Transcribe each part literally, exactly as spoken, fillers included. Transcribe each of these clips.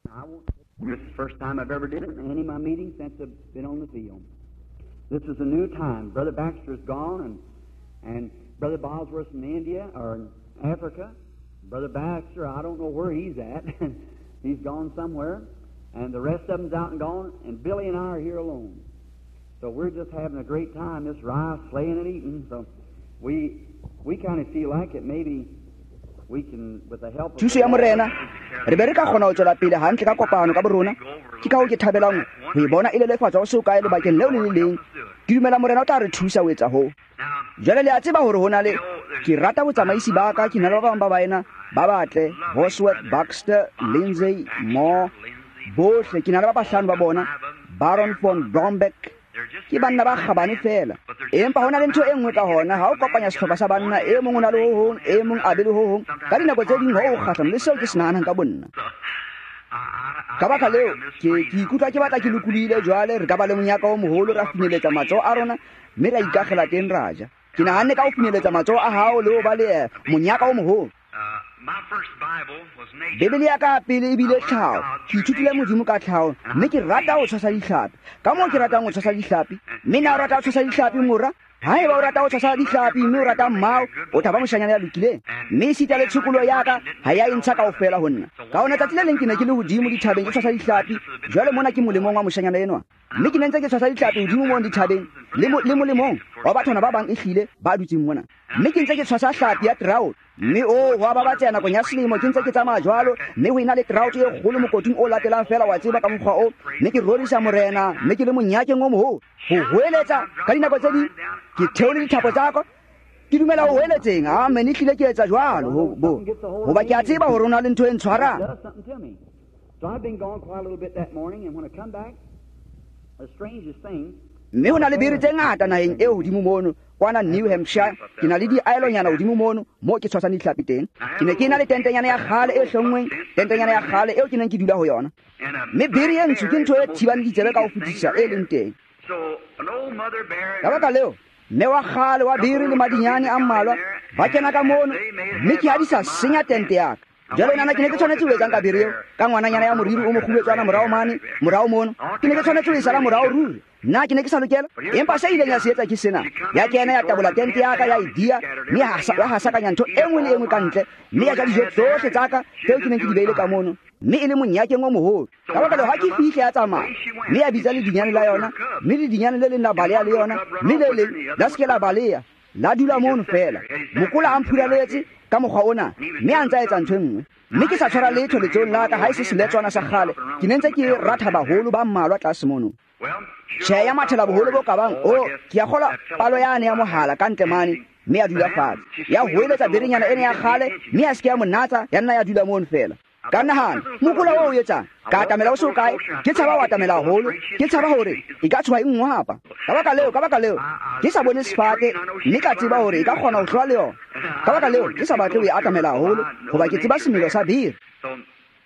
I won't, this is the first time I've ever did it in any of my meetings since I've been on the field. This is a new time. Brother Baxter's gone, and, and Brother Bosworth's in India or in Africa. Brother Baxter, I don't know where he's at. He's gone somewhere. And the rest of them's out and gone, and Billy and I are here alone. So we're just having a great time, this rice, slaying and eating. So we we kind of feel like it maybe we can, with the help of... Thuso ya Morena, re be re ka kgona ho tswela pele hantle ka kopano ka borona. Ke ka hoo ke thabelang ho e bona e lelefatswa ho se hokae lebakeng leo le le leng. Ke dumela Morena o tla re thusa ho etsa hoo. Jwale le a tseba hore ho na le, ke rata botsamaisi ba ka, ke na le ba bang ba baena ba batle, Bosworth, Baxter, Lindsay, Moore, bohle, ke na le ba bahlano ba bona, Baron von Brombeck. Ke banna ba kgabane feela. Empa ho na le ntho e nngwe ka hona, ha o kopanya sehlopha sa banna, e mong o na le ho hong, e mong a be le ho hong, ka dinako tse ding ho o kgahlano le seo ke se nahanang ka bonna. Ka baka leo, ke ke ikutlwa ke batla ke lokolohile jwale, re ka ba le monyaka o moholo, ra finyeletsa matsoho a rona, mme ra ikakgela teng ra ja. Ke nahanne ka ho finyeletsa matsoho a hao le ho ba le monyaka o moholo. Bibele ya ka pele ebile tlhaho. Ke ithutile Modimo ka tlhaho, mme ke rata ho tshwasa dihlapi. Ka moo ke ratang ho tshwasa dihlapi, mme na o rata ho tshwasa dihlapi mora? Haeba o rata ho tshwasa dihlapi mme o rata mmao, o tla ba moshanyana ya lokileng. Mme esita le tshokolo ya ka ha ya e ntsha kaofela ho nna. Ka hona tsatsi le leng ke ne ke le hodimo dithabeng ke tshwasa dihlapi. Jwale mona ke molemong wa moshanyana enwa. Mme ke ne ntse ke tshwasa dihlapi hodimo mono dithabeng le le molemong wa bathwana ba bang ehlile ba dutseng mona. Mme ke ntse ke tshwasa hlapi ya trout. Mme o ho a babatseha nakong ya selemo, ke ntse ke tsamaya jwalo, mme ho ena le trout e kgolo mokoting o latelang feela, wa tseba ka mokgwa o. Mme ke rorisa Morena, mme ke le monyakeng o moholo. Ho hoeletsa ka dinako tse ding, ke theole dithapo tsa ka, ke dumela ho hoeletseng. Amen, ehlile ke etsa jwalo, ho bo hoba ke a tseba hore ho na le ntho e ntshwarang. So I've been gone quite a little bit that morning, and when I come back, the strangest thing. Mme ho na le bere tse ngata naheng eo hodimo mono, kwana New Hampshire. Ke na le diaelonyana hodimo mono moo ke tshwasang dihlapi teng. Ke ne ke na le tentenyana ya kgale e hlonngweng, tentenyana ya kgale eo ke neng ke dula ho yona. Mme bere e ntsho ke ntho e thibang ditsebe ka ho fetisisa e leng teng. Ka baka leo, mme wa kgale wa bere le madinyane a mmalwa ba kena ka mono, mme ke ha di sa senya tente ya ka. Jwale nana ke ne ke tshwanetse ho etsang ka bere eo, ka ngwananyana ya moriri o mokgubetswana morao mane, morao mono. Ke ne ke tshwanetse ho e sala morao ruri. Nna ke ne ke sa lokela, empa se ileng ya se etsa ke sena. Ya kena ya tabola tente ya ka, ya e dia, mme ya hasakanya ntho e nngwe le e nngwe ka ntle, mme ya ja dijo tsohle tsa ka tseo ke neng ke di beile ka mono, mme e le monyakeng o moholo. Ka baka leo, ha ke fihle ya tsamaya, mme ya bitsa ledinyane la yona, mme ledinyane le leng la baleha le yona, mme le leng la se ke la baleha, la dula mono feela. Mokola a mphuraletse ka mokgwa ona, mme a ntsa etsa ntho e nngwe. Mme ke sa tshwara letho letsohong la ka, ha e se seletswana sa kgale. Ke ne ntse ke ratha baholo ba mmalwa tlase mono. Tjhe, ya mathela boholo bo ka bang, o ke a kgolwa palo yane ya mohala ka ntle mane, mme ya dula fatshe. Ya hoeletsa berenyana ena ya kgale, mme ya se ke ya monatsa, ya nna ya dula mono feela. Ka nahana, mokola oo o etsang? Ka atamela ho se hokae, ke tshaba ho atamela haholo, ke tshaba hore e ka tshoha e nngwapa. Ka baka leo, ka baka leo, ke sa bone sefate, mme ka tseba hore e ka kgona ho hlola le yona. Ka baka leo, ke sa batle ho e atamela haholo, hoba ke tseba semelo sa bere.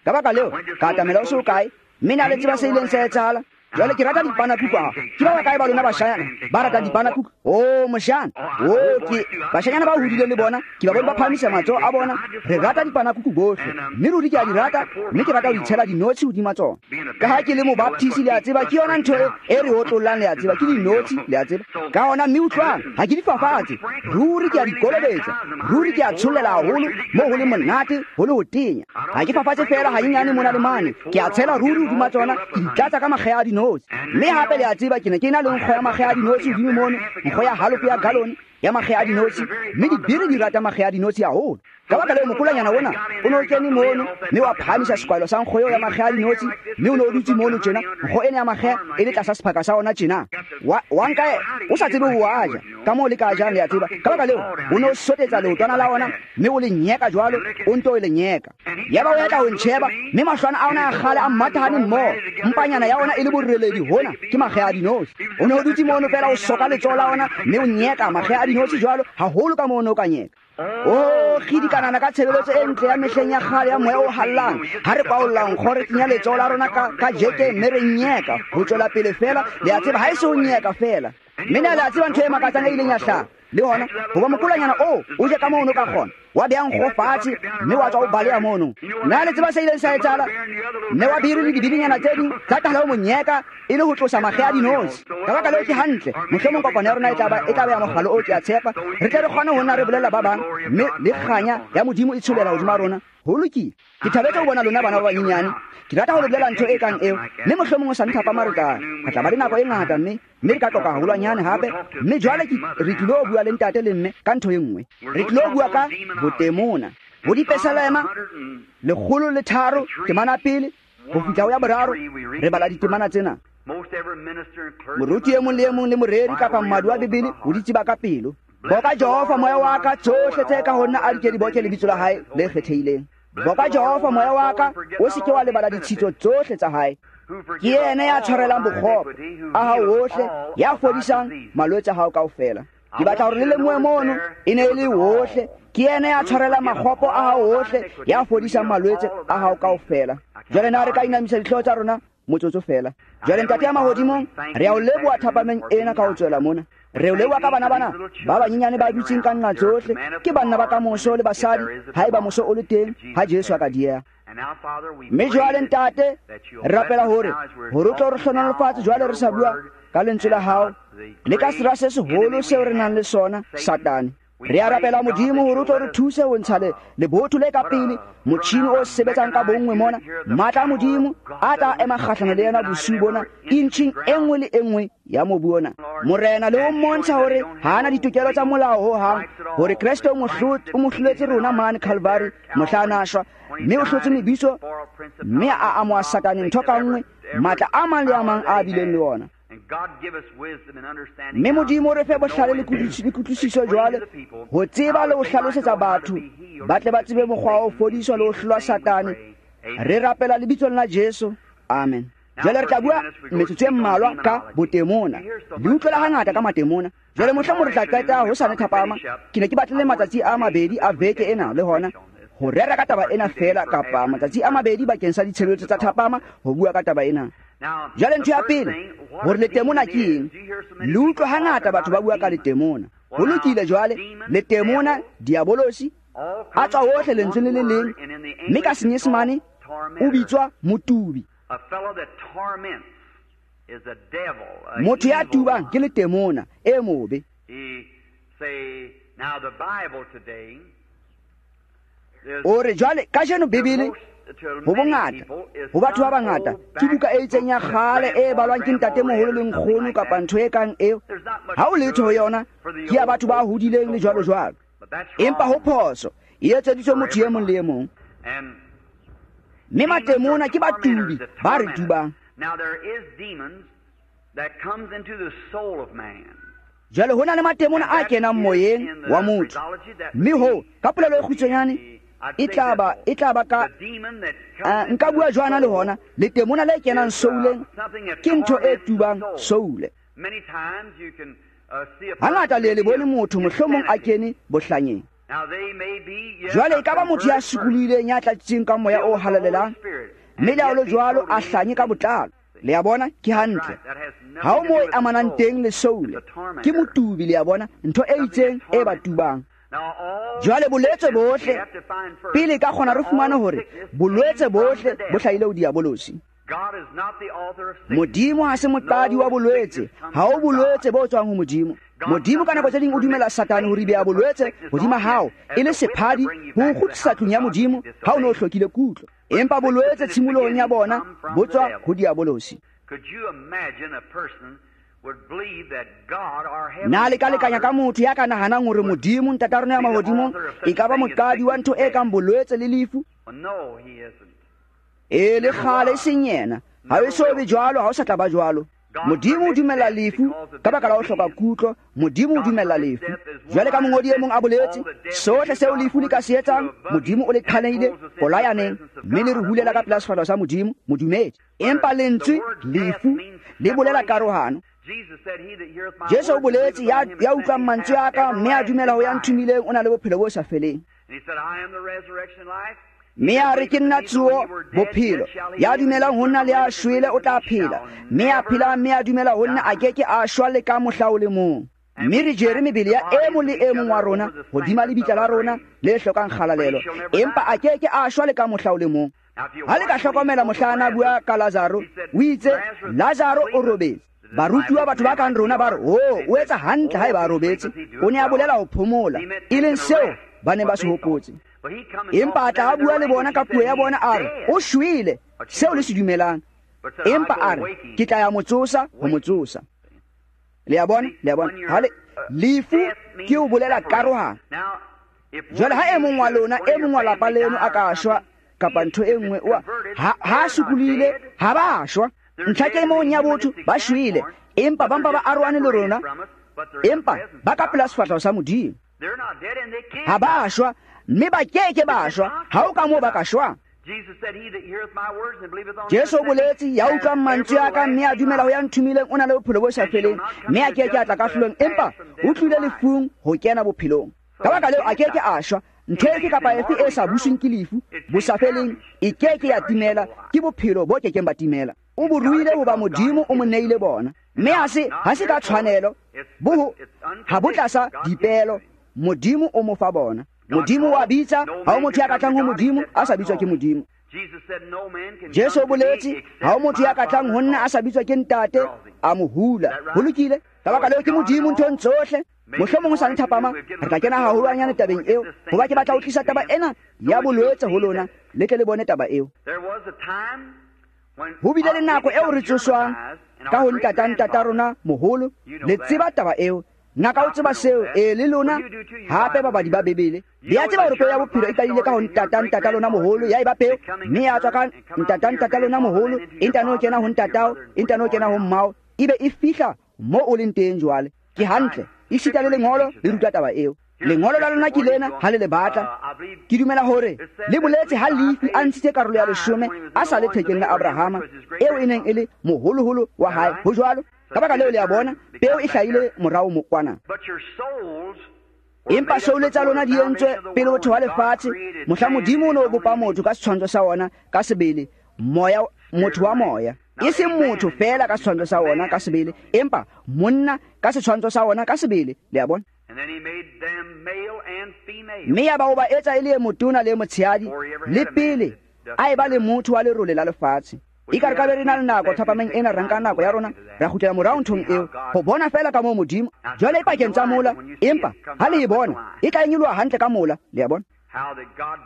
Ka baka leo, ka atamela ho se hokae, mme na le tseba se ileng sa etsahala. Jwale ke rata dipanakuku haholo. Ke ba bakae ba lona bashanyana ba ratang dipanakuku? Oh, moshana. Oh, ke bashanyana ba hodileng le bona, ke ba bone ba phahamisa matsoho a bona. Re rata dipanakuku bohle. Mme ruri ke a di rata, mme ke rata ho di tshela dinotshi hodima tsona. Ka ha ke le mobaptisi, le a tseba, ke yona ntho e re otlollang, le a tseba, ke dinotshi, le a tseba. Ka hona mme utlwang, ha ke di fafatse, ruri ke a di kolobetsa, ruri ke a tshollela haholo, moo ho le monate, ho le ho tenya. Ha ke fafatse feela hanyenyane mona le mane, ke a tshela ruri hodima tsona, ke di tlatsa ka makgeha a dinotshi. Mme hape le a tseba, ke ne ke na le nkgo ya makgeha a dinotshi hodimo mono, nkgo ya halofo ya galone ya makgeha a dinotshi, mme dibere di rata makgeha a dinotshi haholo. Ka baka leo, mokolanyana ona o ne o kene mono, mme wa phahamisa sekwahelo sa nkgo eo ya makgeha a dinotshi, mme o ne o dutse mono tjena, nkgo ena ya makgeha e le tlasa sephaka sa ona tjena. Wa, wa nka o sa tsebe ho a ja, ka moo le ka jang, le a tseba. Ka baka leo, o ne o sotetsa leotwana la ona, mme o le nyeka jwalo, o nto o le nyeka. Yaba o etla ho ntjheba, mme mahlwana a ona a kgale a mmathahane mmoho, mpanyana ya ona e le boreledi hona ke makgeha a dinotshi. O ne o dutse mono feela, o soka letsoho la ona, mme o nyeka makgeha a dinotshi jwalo, haholo ka moo o ne o ka nyeka. O kgidi kanana ka tshebeletso e ntle ya mehleng ya kgale ya moya o hallang. Ha re kwaollang nkgo, re kenya letsoho la rona ka, ka jekeng, mme re nyeka ho tswela pele feela. Le a tseba, ha e se ho nyeka feela. Mme na le a tseba ntho e makatsang e ileng ya hlaha. Le hona hoba mokolanyana o o je ka mono ka kgona wa bea nkgo fatshe mme wa tswa o baleha mono. Na le tseba se ileng sa etsahala? Mme wa biri le dibidinyana tse ding tsa qala ho monyeka e le ho tlosa makge a dinotshi. Ka baka leo ke hantle, mohlomong kopano ya rona e tla ba e tla ba ya mogalo o ke a tshepa. Re tle re kgone ho nna re bolella ba bang mme le kganya ya Modimo e tsholela hodima rona. Ho lokile. Ke thabetse ho bona lona bana ba banyenyane. Ke rata ho le bolela ntho e kang eo. Mme mohlomong o sa nthapama re tla re tla ba le nako e ngata mme mme re ka qoqa haholwanyane hape. Mme jwale ke re tlilo bua le ntate le mme ka ntho e nngwe. Re tlilo bua ka botemona. Bo dipesalema lekgolo le tharo temana pele ho fihla ho ya boraro re bala ditemana tsena. Moruti e mong le e mong le moreri kapa mmadi wa Bibele o di tseba ka pelo. Boka Jehova moya wa ka, tsohle tse ka ho nna a di ke di boke lebitso la hae le kgethehileng. Boka Jehova moya wa ka, o se ke wa lebala ditshitso tsohle tsa hae. Ke yena ya tshwarelang bokgopo a hao wohle, ya fodisang malwetse a hao kaofela. Ke batla hore le lemohe mono e ne e le wohle. Ke yena ya tshwarelang makgopo a hao wohle, ya fodisang malwetse a hao kaofela. Jwale na re ka inamisa dihlooho tsa rona motsotso fela. Jwale Ntate ya mahodimong, re a o leboha thapameng ena ka ho tswela mona. Re o leboha ka bana bana ba banyenyane ba dutseng ka nqa tsohle, ke banna ba kamoso le basadi, haeba moso o le teng, ha Jesu a ka dieha. Mme jwale Ntate, re rapela hore hore o tlo re hlohonolofatse jwale re sa bua ka lentswe la hao le ka sera se seholo seo re nang le sona, Satane. Re a rapela Modimo hore o tlo re thuse ho ntsha le lebotho le ka pele, motjhini o sebetsang ka bonngwe mona, matla a Modimo a tla ema kgahlano le yena bosiu bona, intjhing e nngwe le e nngwe ya mobu ona. Morena, le ho mmontsha hore ha ana ditokelo tsa molao ho hang, hore Kreste o mo hloletse rona mane Calvary mohla a na shwa, mme o hlotse mebitso mme a amoha Satane ntho ka nngwe, matla a mang le a mang a bileng le ona. Mme Modimo re fe bohlale le kutlwisiso jwale ho tseba le ho hlalosetsa batho ba tle ba tsebe mokgwa wa ho fodiswa le ho hlolwa Satane. Re rapela lebitsong la Jesu. Amen. Jwale re tla bua metsotso e mmalwa ka botemona. Le utlwela hangata ka matemona. Jwale mohlomong re tla qeta hosane thapama. Ke ne ke batlile matsatsi a mabedi a veke ena le hona ho rera ka taba ena fela, kapa matsatsi a mabedi bakeng sa ditshebeletso tsa thapama ho bua ka taba ena. Jwale ntho ya pele, hore letemona ke eng? Le utlwa hangata batho ba bua ka letemona. Ho lokile jwale, letemona, diabolosi, a tswa hohle lentsweng le le leng, mme ka Senyesemane o bitswa motubi. Motho ya tubang ke letemona e mobe. O re jwale kajeno Bibele ho bongata, ho batho ba bangata, ke buka e itseng ya kgale e balwang ke ntatemoholo le nkgono kapa ntho e kang eo. Ha o letho ho yona, ke ya batho ba hodileng le jwalo jwalo. Empa ho phoso, e etseditswe motho e mong le e mong. Mme matemona ke batubi ba re tubang. Jwale ho na le matemona a kenang moyeng wa motho. Mme ho, ka polelo e kgutshwanyane, e tla ba e tla ba ka nka bua jwana le hona, letemona le kenang souleng ke ntho e tubang soule. Hangata le le bone motho mohlomong a kene bohlanyeng. Jwale e ka ba motho ya sukulohileng ya tlatsitseng ka moya o halalelang, mme le ha ho le jwalo a hlanye ka botlalo. Le a bona, ke hantle. Ha o moo e amanang teng le soule, ke motubi, le a bona, ntho e itseng e ba tubang. Jwale bolwetse bohle, pele ka kgona re fumane hore bolwetse bohle bo hlahile ho diabolosi. Modimo ha se moqadi wa bolwetse, ha ho bolwetse bo tswang ho Modimo. Modimo ka nako tse ding o dumela Satane hore be a bolwetse hodima hao e le sephadi ho o kgutlisa tlung ya Modimo ha o ne o hlokile kutlo. Empa bolwetse tshimolohong ya bona bo tswa ho diabolosi. Na le ka lekanya ka motho ya ka nahanang hore Modimo Ntata rona ya mahodimong e ka ba moqadi wa ntho e kang bolwetse le lefu? E le kgale e seng yena. Ha e so be jwalo, ha o sa tla ba jwalo. Modimo o dumella lefu ka baka la ho hloka kutlo. Modimo o dumella lefu. Jwale ka mongodi e mong a boletse, sohle seo lefu le ka se etsang, Modimo o le qhalehile polayaneng, mme le re hulela ka pela sefahleho sa Modimo, modumedi. Empa lentswe lefu le bolela karohano. Jesu o boletse, ya ya utlwang mantswe a ka mme a dumela ho ya nthomileng o na le bophelo bo sa feleng. Mme a re ke nna tsoho bophelo, ya dumelang ho nna le a shwele o tla phela, mme a phela mme a dumela ho nna a ke ke a shwa le ka mohla o le mong. Mme re jere mebele ya e mong le e mong wa rona hodima lebitla la rona le hlokang kgalalelo, empa a ke ke a shwa le ka mohla o le mong. Ha le ka hlokomela mohla a na bua ka Lazaro, o itse Lazaro o robetse. Barutuwa batho ba kang rona ba re, "Oh, o etsa hantle ha eba a robetse." O ne a bolela ho phomola, e leng seo ba neng ba se hopotse. Empa a tla a bua le bona ka puo ya bona a re, "O shwele," seo le se dumelang. Empa a re, "Ke tla ya mo tsosa, ho mo tsosa." Le a bona, le a bona. Ha le lefu ke o bolela karohano. Jwale ha e mong wa lona, e mong wa lapa leno a ka shwa kapa ntho e nngwe, oa ha ha sukulile, ha ba shwa. Ntlha ke mong ya botho ba shwele, empa ba mpa ba arohane le rona, empa ba ka pela sefahleho sa Modimo. Ha ba shwa, mme ba keke ba shwa. Ha o ka moo ba ka shwang. Jesu o boletse, ya utlwang mantswe a ka mme a dumela ho ya nthomileng o na le bophelo bo sa feleng, mme a ke ke a tla kahlolong, empa o tlile lefung ho kena bophelong. Ka baka leo a ke ke a shwa. Ntho efe kapa efe e sa busweng ke lefu bo sa feleng e ke ke ya timela, ke bophelo bo kekeng ba timela. O bo ruile hoba Modimo o mo neile bona, mme ha se ha se ka tshwanelo, bo ha bo tlasa dipelo, Modimo o mo fa bona. Modimo wa bitsa, ha o motho ya ka tlang ho Modimo a sa bitswa ke Modimo. Jesu o boletse, ha o motho ya ka tlang ho nna a sa bitswa ke Ntate, a mo hula. Ho lokile. Ka baka leo ke Modimo nthong tsohle. Mohlomong ho sa le thapama re tla kena haholwanyane tabeng eo, hoba ke batla ho tlisa taba ena ya bolwetse ho lona, le tle le bone taba eo. Ho bile le nako eo re tsoswang ka ho ntata ntata rona moholo, le tseba taba eo. Ngaka o tseba seo, e le lona hape babadi ba Bibele. Le a tseba hore peo ya bophelo e qadile ka ho ntata ntata lona moholo, ya eba peo, mme ya tswa ka ntata ntata lona moholo, e ntano kena ho ntatao, e ntano kena ho mmao, ebe e fihla mo o leng teng jwale. Ke hantle, esita le lengolo le ruta taba eo. Lengolo la lona ke lena ha le le batla. Ke dumela hore le boletse ha Lefi a ntshitse karolo ya leshome a sa le thekeng la Abrahama, eo e neng e le moholoholo wa hae. Ho jwalo. Ka baka leo le a bona, peo e hlahile morao mo kwana. Empa soule tsa lona di entswe pele ho thewa lefatshe, mohla Modimo o ne o bopa motho ka setshwantsho sa ona ka sebele, moya, motho wa moya. E seng motho feela ka setshwantsho sa ona ka sebele, empa monna ka setshwantsho sa ona ka sebele. Le a bona? Mme ya ba o ba etsa e le e motona le e motshehadi, le pele a eba le motho wa lerole la lefatshe. Ekare ka be re na le nako thapameng ena, re nka nako ya rona ra kgutlela morao nthong eo, ho bona feela ka moo Modimo jwale e pakeng tsa mola, empa ha le e bona e tla nyoloha hantle ka mola. Le a bona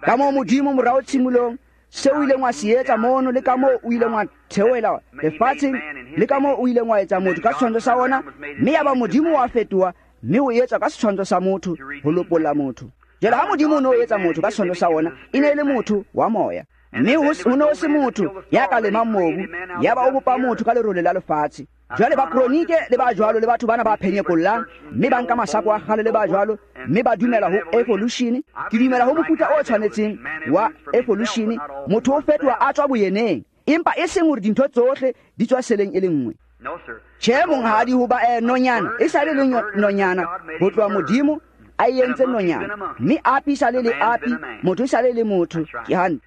ka moo Modimo morao tshimolong seo o ileng wa se etsa mono, le ka moo o ileng wa theohela lefatsheng, le ka moo o ileng wa etsa motho ka setshwantsho sa ona, mme ya ba Modimo wa fetoha mme o etswa ka setshwantsho sa motho ho lopolla motho. Jwale ha Modimo o ne o etsa motho ka setshwantsho sa ona, e ne e le motho wa moya, mme ho ne ho se motho ya ka lemang mobu, ya ba o bopa motho ka lerole la lefatshe. Jwale ba kronike le ba jwalo le batho bana ba phenyekollang, mme ba nka masako a kgale le ba jwalo, mme ba dumela ho evolution. Ke dumela ho mofuta o tshwanetseng wa evolution, motho o fetoha a tswa boyeneng, empa e seng hore dintho tsohle di tswa seleng e le nngwe. Tjhe, monghadi, hoba eh, nonyana e sa le le nonyana ho tloha Modimo a e entse nonyana, mme api sa le le api, motho e sa le le motho. Ke hantle.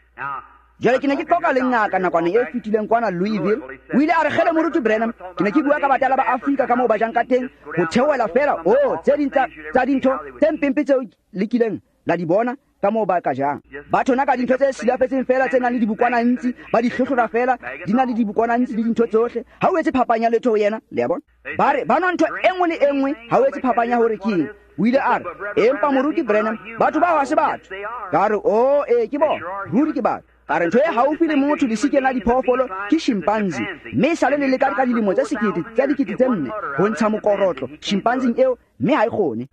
Jwale ke ne ke qoqa le ngaka nakwaneng e fetileng kwana Louisville. O ile a re, "Kgele moruti Branham, ke ne ke bua ka batala ba Afrika ka moo ba jang ka teng, ho theohela feela oh tse ding tsa dintho tse mpempe tseo le kileng la di bona ka moo ba ka jang. Batho na ka dintho tse silafetseng feela tse nang le dibokwana ntsi, ba di hlohlora feela, di na le dibokwana ntsi le dintho tsohle. Ha o etse phapang ya letho ho yena." Le a bona? Ba re ba nwa ntho e nngwe le e nngwe, ha o etse phapang ya hore ke eng. O ile a re, "Empa moruti Branham, batho bao ha se batho." Ka re, "Oh, ee, ke bona, ruri ke batho." Ka re, ntho e haufi le motho lesikeng la diphoofolo ke chimpanzee, mme e sale le leka ka dilemo tse sekete tse dikete tse nne ho ntsha mokorotlo chimpanzee eo, mme ha e kgone.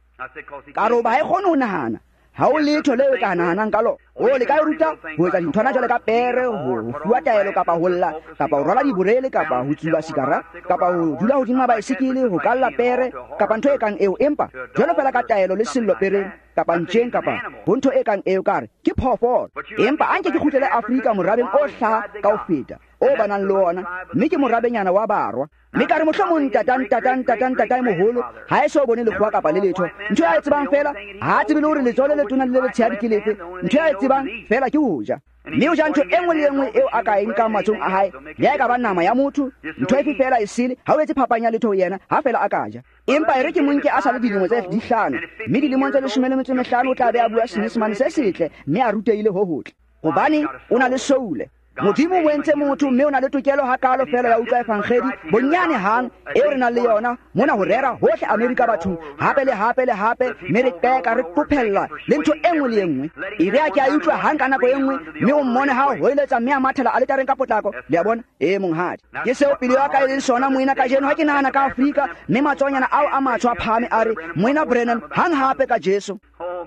Ka re, hoba ha e kgone ho nahana, ha o letho leo e ka nahanang ka lona. O le ka e ruta ho etsa dinthwana jwale ka pere, ho fuwa taelo, kapa ho lla, kapa ho rwala diborele, kapa ho tsuba sigara, kapa ho dula hodima baesekele, ho kalla pere, kapa ntho e kang eo. Empa jwalo fela ka taelo le sello pereng, kapa ntjeng, kapa ho ntho e kang eo, ka re ke phoofolo. Empa a nke ke kgutlele Afrika morabeng o hlaha ka ho feta o ba nang le ona, mme ke morabenyana wa barwa. Mme ka re, mohlomong ntata ntata ntata ntata e moholo ha e so bone lekgowa kapa le letho. Ntho ya e tsebang fela, ha a tsebe le hore letsoho le letona le le letshehadi ke lefe. Ntho ya e tsebang fela ke ho ja. Mme o ja ntho e nngwe le e nngwe eo a ka e nkang matsohong a hae, le ha e ka ba nama ya motho, ntho efe feela e sele, ha o etse phapang ya letho ho yena, ha feela a ka ja. Empa e re ke mo nke a sa le dilemo tse dihlano, mme dilemong tse leshome le metso e mehlano o tla be a bua Senyesemane se setle, mme a rutehile ho hotle. Hobane o na le soule. Modimo o entse motho, mme o na le tokelo hakalo feela ya utlwa evangedi bonyane hang eo re nang le yona mona ho rera hohle Amerika bathong, hape le hape le hape, mme re qeka re qophella le ntho e nngwe le e nngwe. E re a ke a utlwa hang ka nako e nngwe, mme o mmone ha o hoeletsa mme a mathela aletareng ka potlako. Le a bona? Ee, monghadi. Ke seo pelo ya ka e leng sona, moena, kajeno ha ke nahana ka Afrika, mme matsohonyana ao a matsho a phahame a re, Moena Branham, hang hape ka Jesu.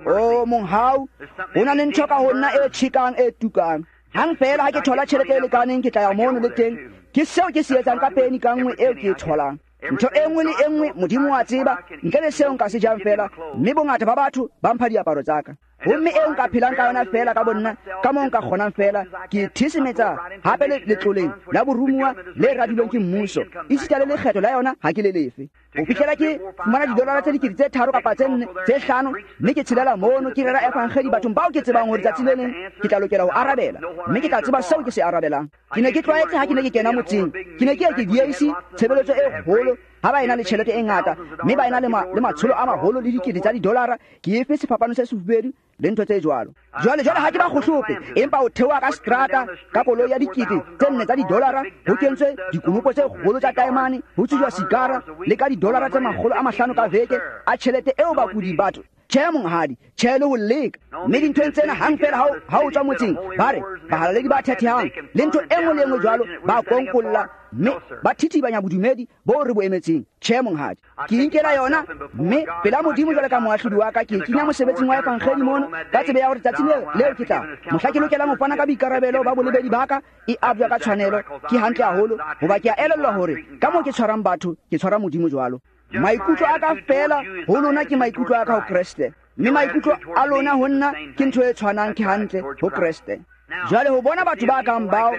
O monghau, ho na le ntho ka ho nna e tjhekang e tukang. Hang feela ha ke thola tjhelete e lekaneng, ke tla ya mono le teng. Ke seo ke se etsang ka peni ka nngwe eo ke e tholang. Ntho e nngwe le e nngwe Modimo wa tseba, ntle le seo nka se jang feela, mme bongata ba batho ba mpha diaparo tsa ka. Homme eo nka phelang ka yona feela ka bonna, ka moo nka kgonang feela, ke thisemetsa hape le letloleng la borumuwa le radilweng ke mmuso. Esita le lekgetho la yona ha ke le lefe. Ho fihlela ke fumana didolara tse dikete tse tharo kapa tse nne, tse hlano, mme ke tshelela mono ke rera evangedi bathong bao ke tsebang hore tsatsi le leng ke tla lokela ho arabela, mme ke tla tseba seo ke se arabelang. Ke ne ke tlwaetse ha ke ne ke kena motseng, ke ne ke ye ke diehise tshebeletso e kgolo ha ba ena le tjhelete e ngata, mme ba ena le ma, le matsholo a maholo le dikete tsa didolara, ke efe sefapano se sefubedu le ntho tse jwalo. Jwale, jwale ha ke ba kgohlope, empa o theoha ka seterata ka koloi ya dikete tse nne tsa didolara, ho kentswe dikonopo tse kgolo tsa taemane, ho tsujwa sigara le ka didolara tse makgolo a mahlano ka veke a tjhelete eo bakudi batho. Tjhe monghadi, tjhe le ho leka. Mme dinthong tsena hang feela ha o, ha o tswa motseng, ba re bahalaledi ba thethehang le ntho e nngwe le e nngwe jwalo, ba konkolla mme ba thithibanya bodumedi bo re bo emetseng. Tjhe monghadi, ke inkela yona, mme pela Modimo jwale ka moahlodi wa ka, ke e kenya mosebetsing wa evangedi mono, ka tsebe ya hore tsatsi leo, leo ke tla mohla ke lokelang ho fana ka boikarabelo ba bolebedi ba ka, e abjwa ka tshwanelo. Ke hantle haholo, hoba ke a elellwa hore ka moo ke tshwarang batho, ke tshwara Modimo jwalo. Maikutlo a ka feela ho lona ke maikutlo a ka ho Kreste, mme maikutlo a lona ho nna ke ntho e tshwanang, ke hantle ho Kreste. Jwale ho bona batho ba kang bao,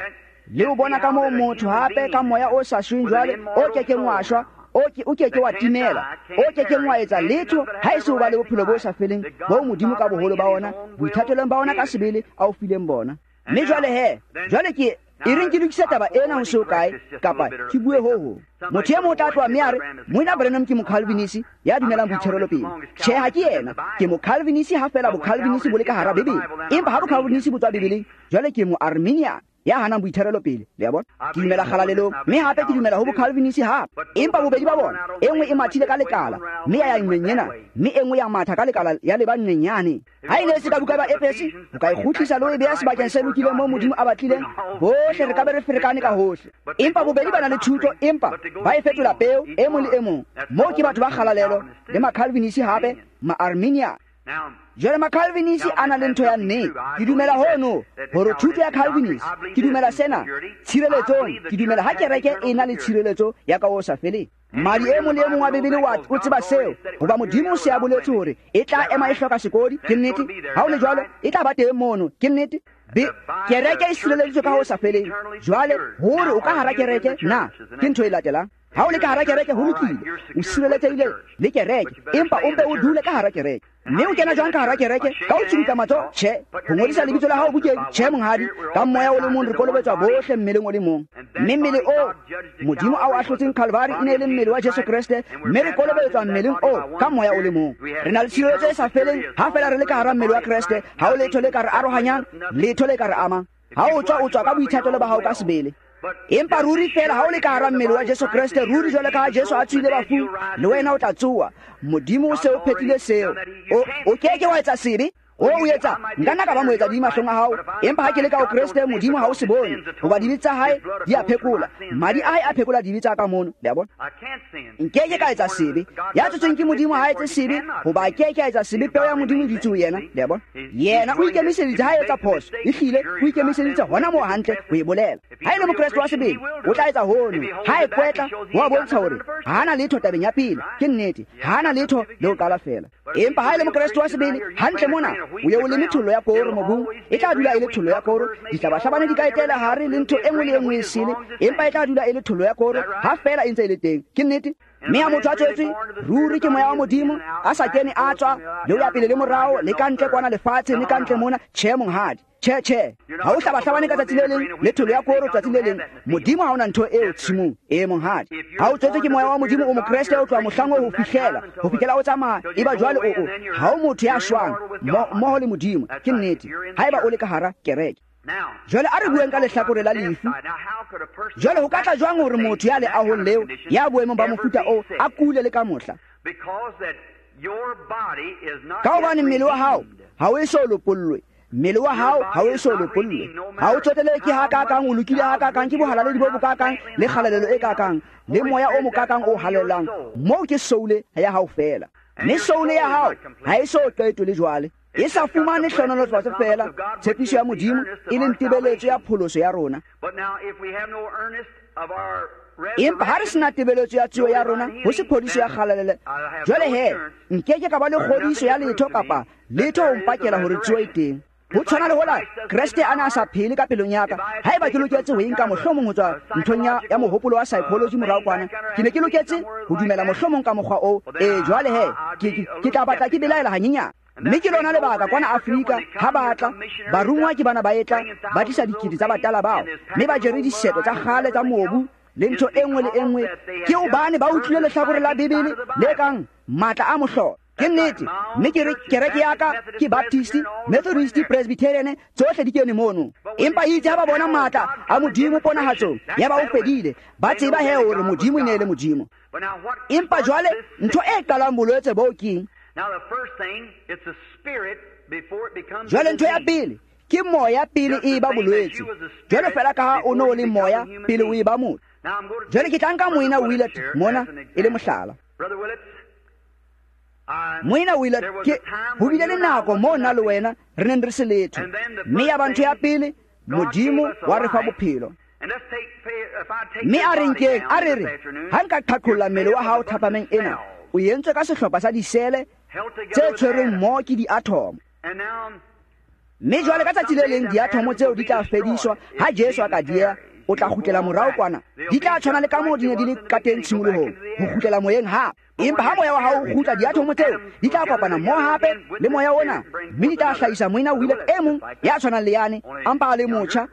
le ho bona ka moo motho hape ka moya o sa shweng jwale, o kekeng wa shwa, o ke, o keke wa timela, o kekeng wa etsa letho ha e se ho ba le bophelo bo sa feleng bo Modimo ka boholo ba ona, boithatelong ba ona ka sebele a o fileng bona. Mme jwale he, jwale ke e reng ke lokise taba ena ho se ho kae, kapa ke bue ho hong. Motho e mong o tla tloha mme a re, Moena Branham ke Mocalvinisi ya dumelang boitherelo pele. Tjhe, ha ke yena. Ke Mocalvinisi ha feela Bocalvinisi bo le ka hara Bibele. Empa ha Bocalvinisi bo tswa Bibeleng, jwale ke Moarminian ya hanang boitherelo pele. Le a bona? Ke dumela kgalalelong, mme hape ke dumela ho Bocalvinisi hape. Empa bobedi ba bona, e nngwe e mathile ka lekala, mme ya ya nqeng ena, mme e nngwe ya matha ka lekala ya leba nqeng yane. Ha e ne e se ka buka ba Efese, o ka e kgutlisa le ho e beha sebakeng se lokileng moo Modimo a batlileng, bohle re ka be re ferekane ka hohle. Empa bobedi ba na le thuto, empa ba e fetola peo e mong le e mong. Moo ke batho ba kgalalelo le Macalvinisi hape, Maarminian. Jwale Macalvinisi a na le ntho ya nnete. Ke dumela hono hore thuto ya Calvinist, ke dumela sena tshireletsong, ke dumela ha kereke e na le tshireletso ya ka ho sa feleng. Madi e mong le e mong wa Bibele wa o tseba seo, hoba Modimo o se a boletse hore e tla ema e hloka sekodi. Ke nnete. Ha o le jwalo, e tla ba teng mono. Ke nnete. Be kereke e sireleditswe ka ho sa feleng. Jwale hore o ka hara kereke na ke ntho e latelang. Ha o le ka hara kereke ho lokile, o sireletsehile le kereke, empa o mpe o dule ka hara kereke. Mme o kena jwang ka hara kereke? Ka ho tsubutla matsoho? Tjhe. Ho ngodisa lebitso la hao bukeng? Tjhe, monghadi. Ka moya o le mong re kolobetswa bohle mmeleng o le mong. Mme mmele o Modimo a o ahlotseng Calvary e ne e le mmele wa Jesu Kreste, mme re kolobetswa mmeleng o ka moya o le mong. Re na le tshireletso e sa feleng ha feela re le ka hara mmele wa Kreste. Ha o letho le ka re arohanyang, letho le ka re amang. Ha o tswa, o tswa ka boithatelo ba hao ka sebele. Empa ruri feela ha o le ka hara mmele wa Jesu Kreste, ruri jwale ka ha Jesu a tswile bafung, le wena o tla tsoha. Modimo o se o phethile seo. O, o keke wa etsa sebe. O o etsa, nka nna ka ba moetsa dibe mahlong a hao, empa ha ke le ka ho Kreste, Modimo ha o se bone, hoba dibe tsa hae di a phekola. Madi a hae a phekola dibe tsa ka mono. Le a bona? Nkeke ka etsa sebe. Ya tsotsweng ke Modimo ha etse sebe, hoba a keke a etsa sebe, peo ya Modimo e dutse ho yena. Le a bona? Yena o ikemiseditse ha etsa phoso, ehlile o ikemiseditse hona moo hantle ho e bolela. Ha e le Mokreste wa sebele, o tla etsa hono. Ha e kwetla, ho a bontsha hore ha ana letho tabeng ya pele. Ke nnete, ha ana letho le ho qala feela. Empa ha e le Mokreste wa sebele, hantle mona o ye o leme thollo ya koro mobung, e tla dula e le thollo ya koro. Dihlabahlabane di ka etela hare le ntho e nngwe le e nngwe e sele, empa e tla dula e le thollo ya koro ha feela e ntse e le teng. Ke nnete. Mme ha motho a tswetswe ruri ke moya wa Modimo, a sa kene a tswa le ho ya pele le morao le ka ntle kwana lefatsheng le ka ntle mona, tjhe monghadi. Tjhe, tjhe, ha o hlabahlabane ka tsatsi le leng le tholo ya koro tsatsi le leng. Modimo ha ona ntho eo tshimong e monghadi. Ha o tswetswe ke moya wa Modimo, o Mokreste o tloha mohlang oo ho fihlela, ho fihlela o tsamaya. Eba jwale o o ha o motho ya shwang mmoho le Modimo. Ke nnete. Haeba o le ka hara kereke. Jwale a re bueng ka lehlakore la lefu. Jwale ho ka tla jwang hore motho ya leahong leo, ya boemong ba mofuta oo, a kule le ka mohla? Ka hobane mmele wa hao ha o eso lopollwe. Mmele wa hao ha o eso lopollwe. Ha o tsotele ke ha kakang, o lokile ha kakang, ke bohalaledi bo bokakang, le kgalalelo e kakang, le moya o mokakang o halalelang. Moo ke soule ya hao fela. Mme soule ya hao ha e so qetwe le jwale. E sa fumane hlohonolofatso fela, tshepiso ya Modimo e leng tebeletso ya pholoso ya rona. Empa ha re sena tebeletso ya tsuo ya rona, ho se phodiso ya kgalalelo, jwale he, nkeke ka ba le kgodiso ya letho kapa letho ho mpakela hore tsuo e teng. Ho tshwana le hola Kreste a ne a sa phele ka pelong ya ka. Haeba ke loketse ho e nka mohlomong ho tswa nthong ya, ya mohopolo wa psychology morao kwana, ke ne ke loketse ho dumela mohlomong ka mokgwa oo. E jwale he, ke, ke, ke tla batla ke belaela hanyenyane. Mme ke lona lebaka kwana Afrika ha ba tla, barungwa ke bana ba etla, ba tlisa dikete tsa batala bao, mme ba jere diseto tsa kgale tsa mobu le ntho e nngwe le e nngwe. Ke hobane ba utlwile lehlakore la Bibele le kang matla a mohlolo. Ke nnete. Mme ke re kereke ya ka ke Baptist, Methodist, Presbyterian, tsohle di kene mono. Empa itse ha ba bona matla a Modimo ponahatsong, ya ba o fedile, ba tseba he hore Modimo e ne e le Modimo. Empa jwale ntho e qalang bolwetse boo keng? Jwale ntho ya pele ke moya pele e ba bolwetse. Jwale fela ka ha o no le moya pele o e ba motho. Jwale ke tla nka Moena Willett mona e le mohlala. Moena Willett, ke ho bile le nako moo nna le wena re neng re se letho. Mme ya ba ntho ya pele, Modimo wa re fa bophelo. Mme a re nkeng, a re re, ha nka qhaqholla mmele wa hao thapameng ena, o entswe ka sehlopha sa disele tse tshwerweng mmoho ke diathomo. Mme jwale ka tsatsi le leng diathomo tseo di tla fediswa ha Jesu a ka dieha, o tla kgutlela morao kwana. Di tla tshwana le kamoo di ne di le ka teng tshimolohong, ho kgutlela moyeng hape. Empa ha moya wa hao o kgutla, diathomo tseo di tla kopana mmoho hape le moya ona, mme di tla hlahisa Moena Willett e mong ya tshwanang le yane, a mpa a le motjha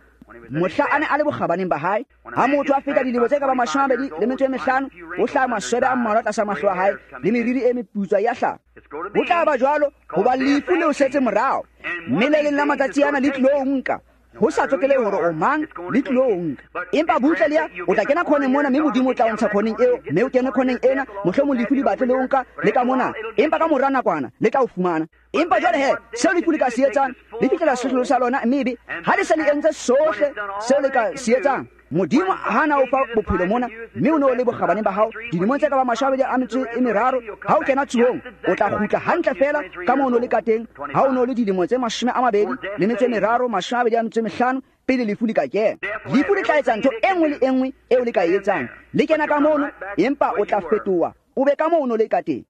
mohla a ne a le bokgabaneng ba hae. Ha motho a feta dilemo tse ka ba mashome a mabedi le metso e mehlano, o hlaha maswebe a mmalwa tlasa mahlo a hae, le meriri e meputswa ya hlaha. Ho tla ba jwalo hoba lefu le o setse morao, mme le leng la matsatsi ana le tlilo o nka. Ho sa tsotelehe hore o mang, le tlilo o nka. Empa butle le ya, o tla kena khoneng mona, mme Modimo o tla o ntsha khoneng eo, mme o kene khoneng ena, mohlomong lefu le batle le o nka le ka mona, empa ka mora nakwana le tla o fumana. Empa jwale he, seo lefu le ka se etsang, le fihlela sehlolo sa lona, mme ebe ha le se le entse sohle seo le ka se etsang, Modimo ha na o fa bophelo mona, mme o ne o le bokgabaneng ba hao dilemong tse ka ba mashome a mabedi a metso e meraro, ha o kena tsuhong, o tla kgutla hantle fela ka moo o ne o le ka teng ha o ne o le dilemo tse mashome a mabedi le metso e meraro, mashome a mabedi a metso e mehlano, pele lefu le ka kena. Lefu le tla etsa ntho e nngwe le e nngwe eo le ka e etsang. Le kena ka mono, empa o tla fetoha, o be ka moo o ne o le ka teng.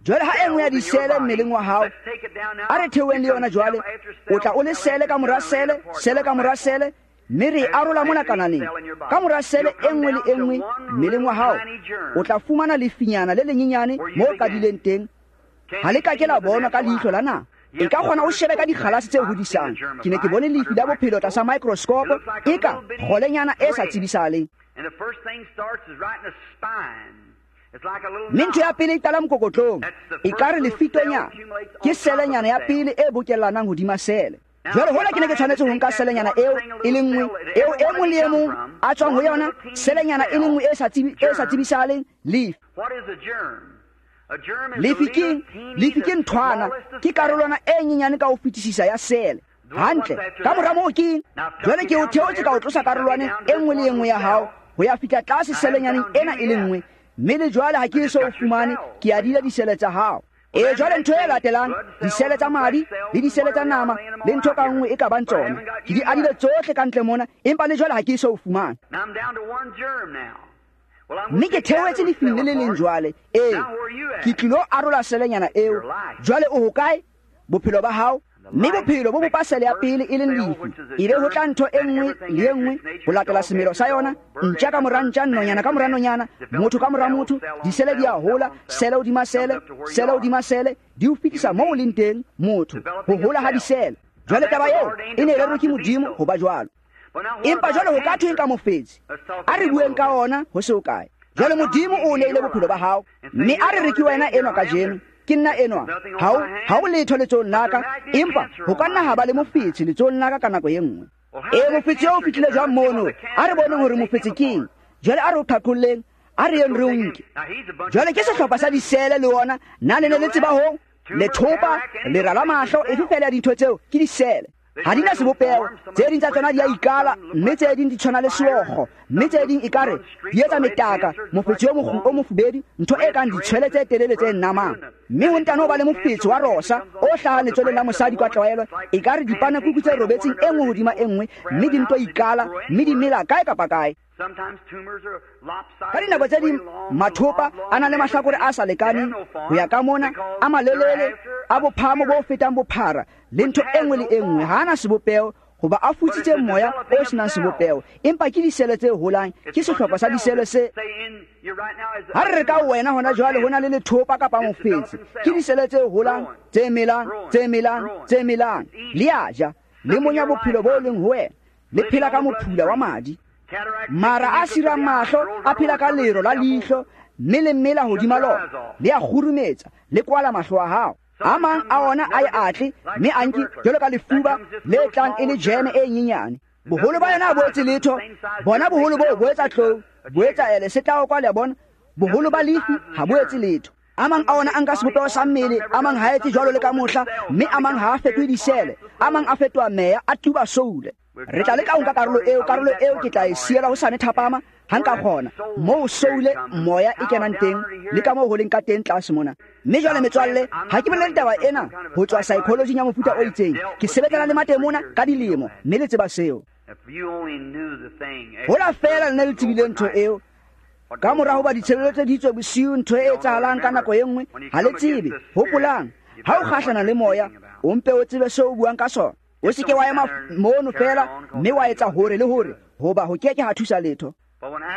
Jwale ha e nngwe ya disele mmeleng wa hao, a re theoheng le yona jwale, o tla o le sele ka mora sele, sele ka mora sele, mme re e arola mona kanaleng. Ka mora sele e nngwe le e nngwe mmeleng wa hao, o tla fumana lefinyana le lenyenyane moo o qadileng teng. Ha le ka ke la bonwa ka leihlo la nama. E ka kgona o shebe ka dikgalase tse hodisang. Ke ne ke bone lefi la bophelo tlasa microscope, e ka kgolenyana e sa tsebisahaleng. Mme ntho ya pele e qala mokokotlong, e ka re lefitonyana, ke selenyana ya pele e bokellanang hodima sele. Jwale hola ke ne ke tshwanetse ho nka selenyana eo e le nngwe, eo e mong le e mong a tswang ho yona, selenyana e le nngwe e sa tsebi, e sa tsebisahaleng, lefi. Lefi ke, lefi ke nthwana, ke karolwana e nyenyane ka ho fetisisa ya sele. Hantle, ka mora moo keng? Jwale ke o theotse ka o tlosa karolwaneng e nngwe le e nngwe ya hao, ho ya fihla tlase selenyaneng ena e le nngwe. Mme le jwale ha ke eso o fumane, ke adile disele tsa hao. E jwale ntho e latelang, disele tsa madi le disele tsa nama le ntho ka nngwe e ka bang tsona, ke di adile tsohle ka ntle mona, empa le jwale ha ke eso o fumane. Mme ke theohetse lefing le le leng jwale. Ee, ke tlilo arola selenyana eo. Jwale o hokae? Bophelo ba hao. Mme bophelo bo bopa sele ya pele e leng lefu, ebe ho tla ntho e nngwe le e nngwe ho latela semelo sa yona, ntja ka mora ntja, nonyana ka mora nonyana, motho ka mora motho, disele di a hola, sele hodima sele, sele hodima sele, di o fetisa moo o leng teng motho, ho hola ha disele. Jwale taba eo e ne e rerwe ke Modimo ho ba jwalo. Empa jwale ho ka thweng ka mofetshe? A re bueng ka ona ho se ho kae. Jwale Modimo o neile bophelo ba hao, mme a re re ke wena enwa kajeno, ke nna enwa, ha o ha o letho letsohong la ka, empa ho ka nna ha ba le mofetshe letsohong la ka ka nako e nngwe. Ee, mofetshe eo o fihlile jwang mono? A re boneng hore mofetshe keng. Jwale a re o qhaqholleng, a re yeng re o nke. Jwale ke sehlopha sa disele le ona, na le ne le tseba hoo? Lethopa, lera la mahlo, efe fela ya dintho tseo ke disele. Ha di na sebopeho, tse ding tsa tsona di a ikala, mme tse ding di tshwana le seokgo, mme tse ding ekare di etsa metaka, mofetshe o o mofubedu, ntho e kang ditshwele tse telele tse namang. Mme ho ntano ba le mofetshe wa rosa o hlahang letsweleng la mosadi kwa tlwaelo, ekare dipanekuku tse robetseng e nngwe hodima e nngwe, mme di nto ikala, mme di mela kae kapa kae. Ka dinako tse ding mathopa a na le mahlakore a sa lekaneng ho ya ka mona, a malelele, a bophahamo bo fetang bophara, le ntho e nngwe le e nngwe. Ha ana sebopeho hoba a futsitse moya o senang sebopeho, empa ke disele tse holang, ke sehlopha sa disele se. Ha re re ka wena hona jwale ho na le lethopa kapa mofetshe, ke disele tse holang, tse melang, tse melang, tse melang. Le a ja, le monya bophelo bo leng ho wena, le phela ka mophula wa madi. Mara a sirang mahlo a phela ka lero la leihlo, mme le mela hodima lona, le a kgurumetsa, le kwala mahlo a hao. A mang a ona a e atle, mme a nke jwalo ka lefuba le tlang e le jeme e nyenyane. Boholo ba yona ha bo etse letho, bona boholo boo bo etsa tlou, bo etsa ele se tla kwa le a bona. Boholo ba lefi ha bo etse letho. A mang a ona a nka sebopeho sa mmele, a mang ha etse jwalo le ka mohla, mme a mang ha a fetohe disele, a mang a fetoha meya, a tuba soule. Re tla leka ho nka karolo eo, karolo eo ke tla e siela hosane thapama, ha nka kgona, moo soule moya e kenang teng, le ka moo ho leng ka teng tlase mona. Mme jwale metswalle, ha ke bolele taba ena ho tswa psychology ya mofuta o itseng, ke sebetsana le matemona ka dilemo, mme le tseba seo. Hola feela le ne le tsebile ntho eo, ka mora hoba ditshebeletso di tswe bosiu, ntho e etsahalang ka nako e nngwe, ha le tsebe. Hopolang, ha o kgahlana le moya, o mpe o tsebe seo o buang ka sona. O se ke wa ema mono fela, mme wa etsa hore le hore, hoba ho ke ke ha thusa letho.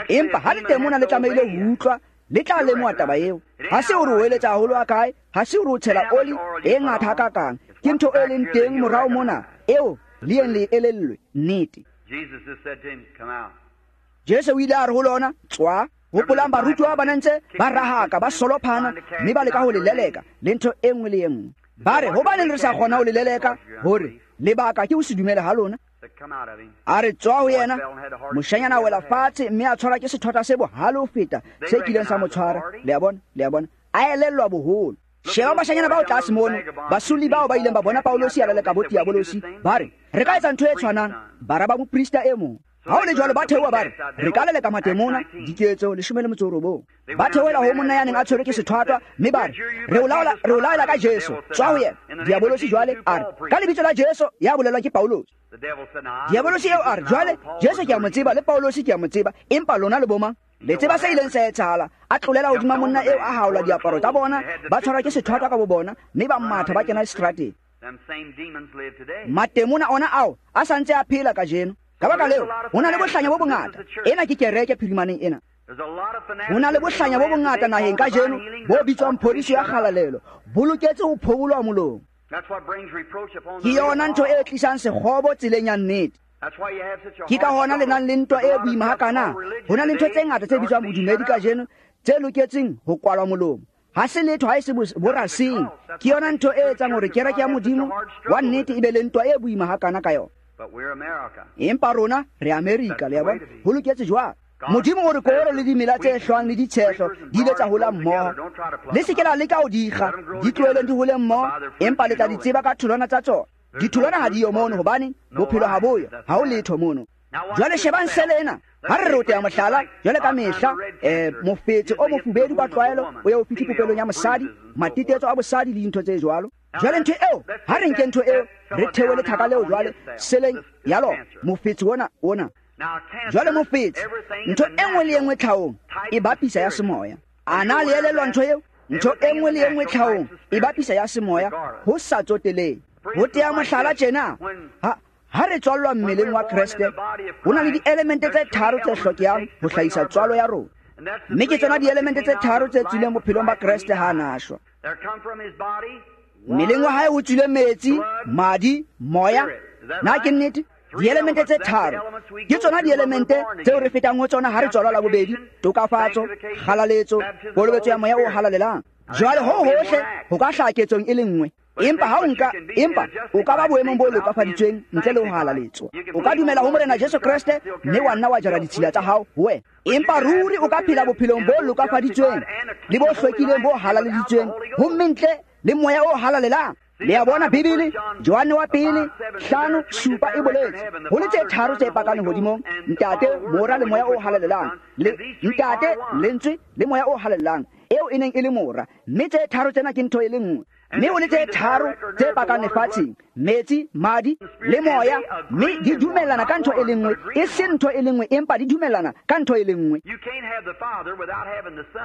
Empa ha le temona le tlamehile ho utlwa, le tla lemoha taba eo. Ha se hore o eletsa haholo ha kae, ha se hore o tshela oli e ngata hakakang, ke ntho e leng teng morao mona, eo le yeng le elellwe nnete. Jesu o ile a re ho lona, tswa. Hopolang barutuwa ba ne ntse ba rahaka, ba solophana, mme ba leka ho le leleka, le ntho e nngwe le e nngwe. Ba re, hobaneng re sa kgona ho le leleka? Hore lebaka ke ho se dumele ha lona. A re tswa ho yena, moshanyana a wela fatshe, mme a tshwarwa ke sethota se bohale ho feta se kileng sa mo tshwara. Le a bona, le a bona, a elellwa boholo. Sheba bashanyana bao tlase mono, basuli bao ba ileng ba bona Paulosi a leleka bo Diabolosi, ba re, re ka etsa ntho e tshwanang, bara ba moprista e mong. Ha ho le jwalo ba theoha ba re, re ka leleka matemona, diketso leshome le metso e robong. Ba theohela ho monna ya neng a tshwerwe ke sethwathwa, mme ba re, re o laola, re o laela ka Jesu, tswa ho yena. Diabolosi jwale a re, ka lebitso la Jesu ya bolelwang ke Paulosi. Diabolosi eo a re, jwale Jesu ke a mo tseba le Paulosi ke a mo tseba, empa lona le bo mang? Le tseba se ileng sa etsahala. A tlolela hodima monna eo, a haola diaparo tsa bona, ba tshwarwa ke sethwathwa ka bo bona, mme ba matha ba kena seterateng. Matemona ona ao a sa ntse a phela kajeno. Ka baka leo, ho na le bohlanya bo bongata. Ena ke kereke phirimaneng ena. Ho na le bohlanya bo bongata naheng kajeno bo bitswang phodiso ya kgalalelo, bo loketse ho phobolwa molomo. Ke yona ntho e tlisang sekgobo tseleng ya nnete. Ke ka hona le nang le ntwa e boima hakana. Ho na le ntho tse ngata tse bitswang bodumedi kajeno tse loketseng ho kwalwa molomo. Ha se letho ha e se boraseng. Ke yona ntho e etsang hore kereke ya Modimo wa nnete e be le ntwa e boima hakana ka yona. Empa rona re Amerika, le a bona, ho loketse jwang. Modimo o re koro le dimela tse hlwang le ditshehlo di ile tsa hola mmoho. Le se ke la leka ho di kga, di tloheleng di hole mmoho, empa le tla di tseba ka tholwana tsa tsona. Ditholwana ha di yo mono, hobane bophelo ha bo yo, ha ho letho mono. Jwale shebang sele ena. Ha re re o tea mohlala, jwale ka mehla, eh, mofetshe o mofubedu ka tlwaelo o ya o fihle popelong ya mosadi, matetetso a bosadi le dintho tse jwalo. Jwale ntho eo, ha re nke ntho eo, re thewe lethaka leo jwale seleng ya lona, mofetshe ona ona. Jwale mofetshe, ntho e nngwe le e nngwe tlhahong e bapisa ya semoya. A na le elellwa ntho eo? Ntho e nngwe le e nngwe tlhahong e bapisa ya semoya ho sa tsotelehe. Ho tea mohlala tjena, ha ha re tswallwa mmeleng wa Kreste, ho na le dielemente tse tharo tse hlokehang ho hlahisa tswalo ya rona. Mme ke tsona dielemente tse tharo tse tswileng bophelong ba Kreste ha a shwa. Mmeleng wa hae ho tswile metsi, madi, moya. Na ke nnete? Dielemente tse tharo ke tsona dielemente tseo re fetang ho tsona ha re tswalwa la bobedi: tokafatso, kgalaletso, kolobetso ya moya o halalelang. Jwale ho hohle ho ka hlaha ketsong e le nngwe, empa ha o nka empa o ka ba boemong bo lokafaditsweng ntle le ho halaletswa. O ka dumela ho Morena Jesu Kreste mme wa nna wa jara ditshila tsa hao ho wena, empa ruri o ka phela bophelong bo lokafaditsweng le bo hlwekileng bo halaleleditsweng homme ntle le moya o halalelang. Le a bona Bibele, Johanne wa pele hlano supa e boletse ho le tse tharo tse pakang lehodimong: Ntate, Mora le Moya o halalelang. Le Ntate, Lentswe le Moya o halalelang, eo e neng e le Mora. Mme tse tharo tsena ke ntho e le nngwe. Mme ho le tse tharo tse pakang lefatsheng: metsi, madi le moya, mme di dumellana ka ntho e le nngwe, e se ntho e le nngwe, empa di dumellana ka ntho e le nngwe.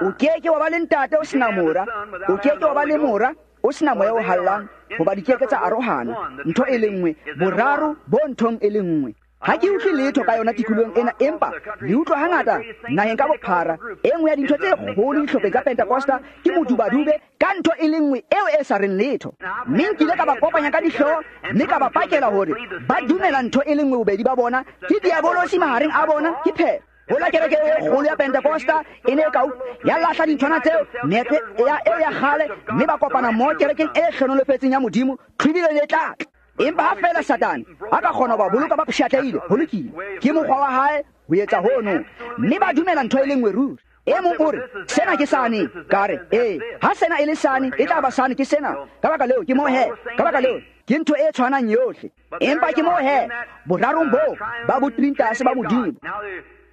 O ke ke wa ba le Ntate o sena Mora, o ke ke wa ba le Mora o sena moya o hallang, hoba di ke ke tsa arohana. Ntho e le nngwe, boraro bo nthong e le nngwe. Ha ke utlwe letho ka yona tikolohong ena, empa le utlwa hangata naheng ka bophara. E nngwe ya dintho tse kgolo dihlopheng tsa Pentecosta ke modubadube ka ntho e le nngwe eo e sa reng letho. Mme nkile ka ba kopanya ka dihlooho mme ka ba pakela hore ba dumela ntho e le nngwe bobedi ba bona, ke diabolosi mahareng a bona, ke phela. Hola kereke e kgolo ya Pentecosta e ne ka ya lahla dinthwana tseo, meetlo ya eo ya kgale, mme ba kopana mo kerekeng e hlonolofetseng ya Modimo, tlhwibilo e tla tla. Empa ha feela Satane a ka kgona ho ba boloka ba pshatlehile, ho lokile, ke mokgwa wa hae ho etsa hono, mme ba dumela ntho e le nngwe ruri. E mong o re, sena ke sane, ka re, ee, ha sena e le sane, e tla ba sane ke sena. Ka baka leo ke moo he, ka baka leo ke ntho e tshwanang yohle. Empa ke moo he, borarong boo ba botrintase ba Modimo.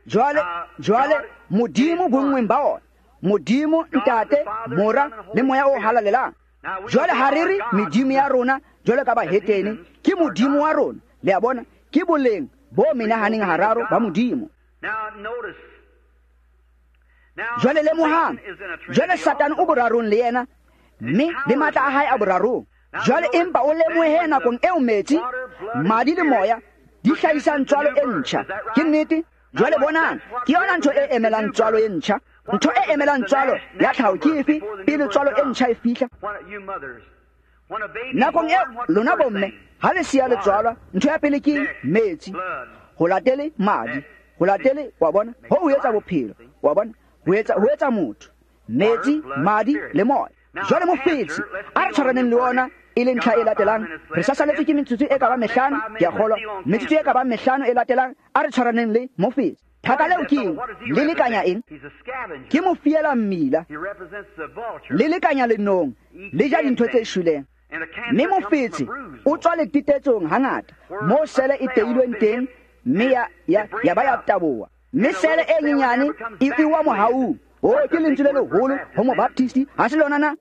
Jwale, jwale Modimo bonngweng ba ona, Modimo Ntate, Mora le Moya o halalelang. Jwale ha re re medimo ya rona jwale ka bahetene, ke Modimo wa rona. Le a bona, ke boleng bo menahaneng hararo ba Modimo. Jwale lemohang, jwale Satane o borarong le yena, mme le matla a hae a borarong. Jwale empa o lemohe nakong eo metsi, madi le moya di hlahisang tswalo e ntjha. Ke nnete? Jwale bonang, ke yona ntho e emelang tswalo e ntjha. Ntho e emelang tswalo ya tlhaho ke efe pele tswalo e ntjha e fihla? Nakong eo lona bomme ha le siya le tswalwa, ntho ya pele ke metsi, ho latele madi, ho latele, wa bona, ho ho etsa bophelo, wa bona, ho etsa ho etsa motho, metsi, madi le moya. Jwale mofetshe a re tshwaraneng le ona e le ntlha e latelang. Re sa saletswe ke metsotso e ka bang mehlano, ke a kgolwa, metsotso e ka bang mehlano e latelang, a re tshwaraneng le mofetshe. Thaka leo ke eng? Le lekanya eng? Ke mofiela mmila, le lekanya lenong, le ja dintho tse shweleng. Mme mofetshe o tswa letitetsong hangata, moo sele e teilweng teng, mme ya, ya, ya ba ya taboha. Mme sele e nyenyane e ewa mohaung. O ke lentswe le leholo ho mobaptisti, ha se lona na?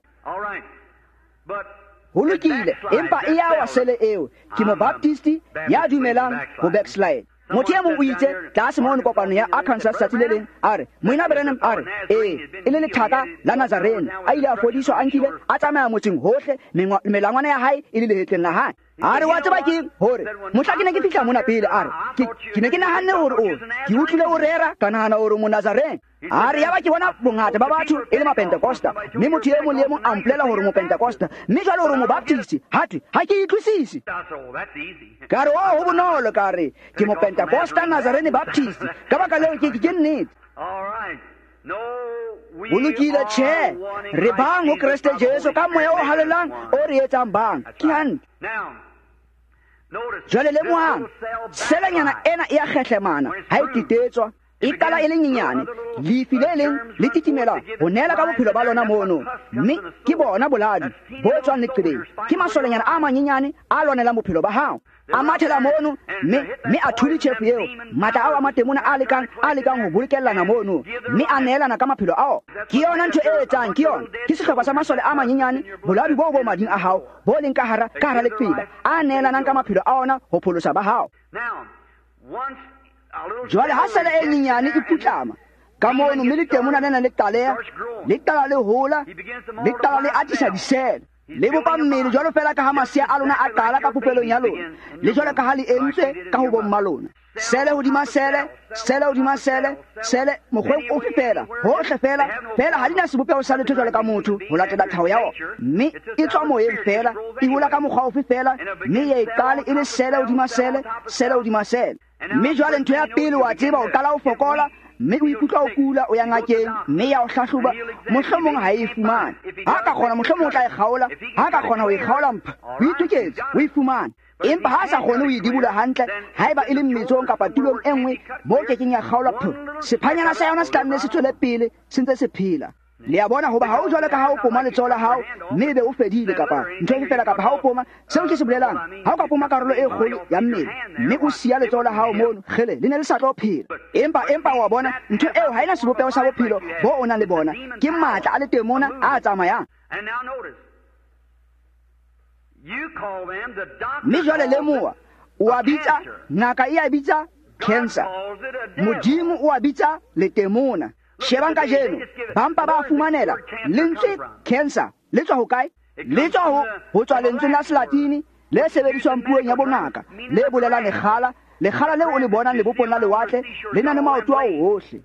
Ho lokile, empa e ya wa sele eo. Ke mobaptisti ya dumelang ho backslide. Motho e mong o itse tlase mono kopano ya Arkansas tsatsi le leng, a re, Moena Branham, a re, ee, e le lethaka la Nazarene, a ile a fodiswa, a nkile a tsamaya motseng hohle, melangwana ya hae e le lehetleng la hae. A re, wa tseba keng hore mohla ke ne ke fihla mona pele, a re, ke ke ne ke nahanne hore o ke utlwile o rera, ka nahana hore mo Nazarene. A re, yaba ke bona bongata ba batho e le Mapentekosta, mme motho e mong le e mong a mpolela hore Mopentekosta, mme jwale hore Mobaptist. Ha thwe, ha ke utlwisise. Ka re, oh, ho bonolo, ka re, ke Mopentekosta Nazarene Baptist. Ka baka leo ke ke nnete. Ho lokile, tjhe, re bang ho Kreste Jesu ka moya o halalelang o re etsang bang. Ke hantle. Jwale lemohang, selenyana ena e a kgehlemana ha e titetswa, e qala e le nyenyane, lefi le leng le titimela ho neela ka bophelo ba lona mono, mme ke bona boladi bo tswang leqebeng. Ke masolenyana a manyenyane a lwanelang bophelo ba hao, a mathela mono, mme mme a thuli tjhefu eo, matla ao a matemona a lekang a lekang ho bolokellana mono, mme a neelana ka maphelo ao. Ke yona ntho e etsang, ke yona, ke sehlopha sa masole a manyenyane, boladi boo bo mading a hao, bo leng ka hara ka hara leqeba, a neelanang ka maphelo a ona ho pholosa ba hao. Jwale ha sele e nyenyane e putlama ka mono, mme letemona lena le qaleha, le qala le hola, le qala le atisa disele. Le bopa mmele jwalo fela ka ha masea a lona a qala ka popelong ya lona, le jwalo ka ha le entswe ka ho bomma lona. Sele hodima sele, sele hodima sele, sele mokgweng ofe fela, hohle fela, fela ha di na sebopeho sa letho jwalo ka motho ho latela tlhaho ya ona. Mme e tswa moyeng fela, e hola ka mokgwa ofe fela, mme ya e qale e le sele hodima sele, sele hodima sele. Mme jwale ntho ya pele wa tseba o qala o fokola, mme o ikutlwa o kula, o ya ngakeng, mme ya o hlahloba, mohlomong ha e fumane. Ha ka kgona mohlomong o tla e kgaola, ha ka kgona ho e kgaola mpha, o itoketse, o e fumane. Empa ha sa kgone ho e dibula hantle, haeba e le mmetsong kapa tulong e nngwe moo kekeng ya kgaolwa pho, sephanyana sa yona se tla nne se tswele pele se ntse se phela. Le a bona hoba ha o jwalo ka ha o poma letsoho la hao mme ebe o fedile kapa ntho efe fela, kapa ha o poma, seo ke se bolelang, ha o ka poma karolo e kgolo ya mmele mme o siya letsoho la hao mono, kgele le ne le sa tlo phela. Empa empa wa bona ntho eo ha ena sebopeho sa bophelo bo o nang le bona, ke matla a letemona a tsamayang. Mme jwale lemoha, o a bitsa ngaka e a bitsa cancer, Modimo o a bitsa letemona. Shebang kajeno, ba mpa ba fumanela lentswe cancer le tswa hokae? Le tswa ho ho tswa lentsweng la Selatini le sebediswang puong ya bongaka, le bolelang lekgala. Lekgala leo o le bonang lebopong la lewatle le na le maoto ao hohle.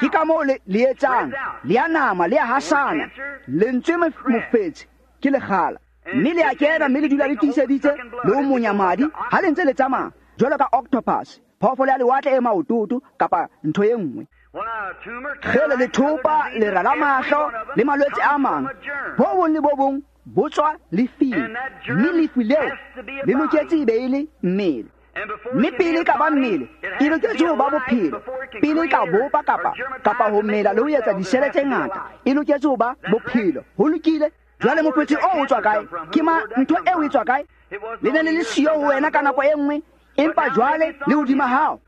Ke ka moo le le etsang, le a nama, le a hasana. Lentswe mofetshe ke lekgala, mme le a kena, mme le dula le tiiseditse le ho monya madi ha le ntse le tsamaya jwalo ka octopus, phoofolo ya lewatle e maototo kapa ntho e nngwe. Kgele lethopa, lera la mahlo le malwetse a mang, bo bong le bo bong bo tswa lefing, mme lefu leo le loketse e be e le mmele. Mme pele e ka ba mmele, e loketse ho ba bophelo. Pele e ka bopa kapa kapa ho mela le ho etsa disele tse ngata, e loketse ho ba bophelo. Ho lokile. Jwale mofetshe oo o tswa kae? Ke ma ntho eo e tswa kae? Le ne le le siyo ho wena ka nako e nngwe, empa jwale le hodima hao.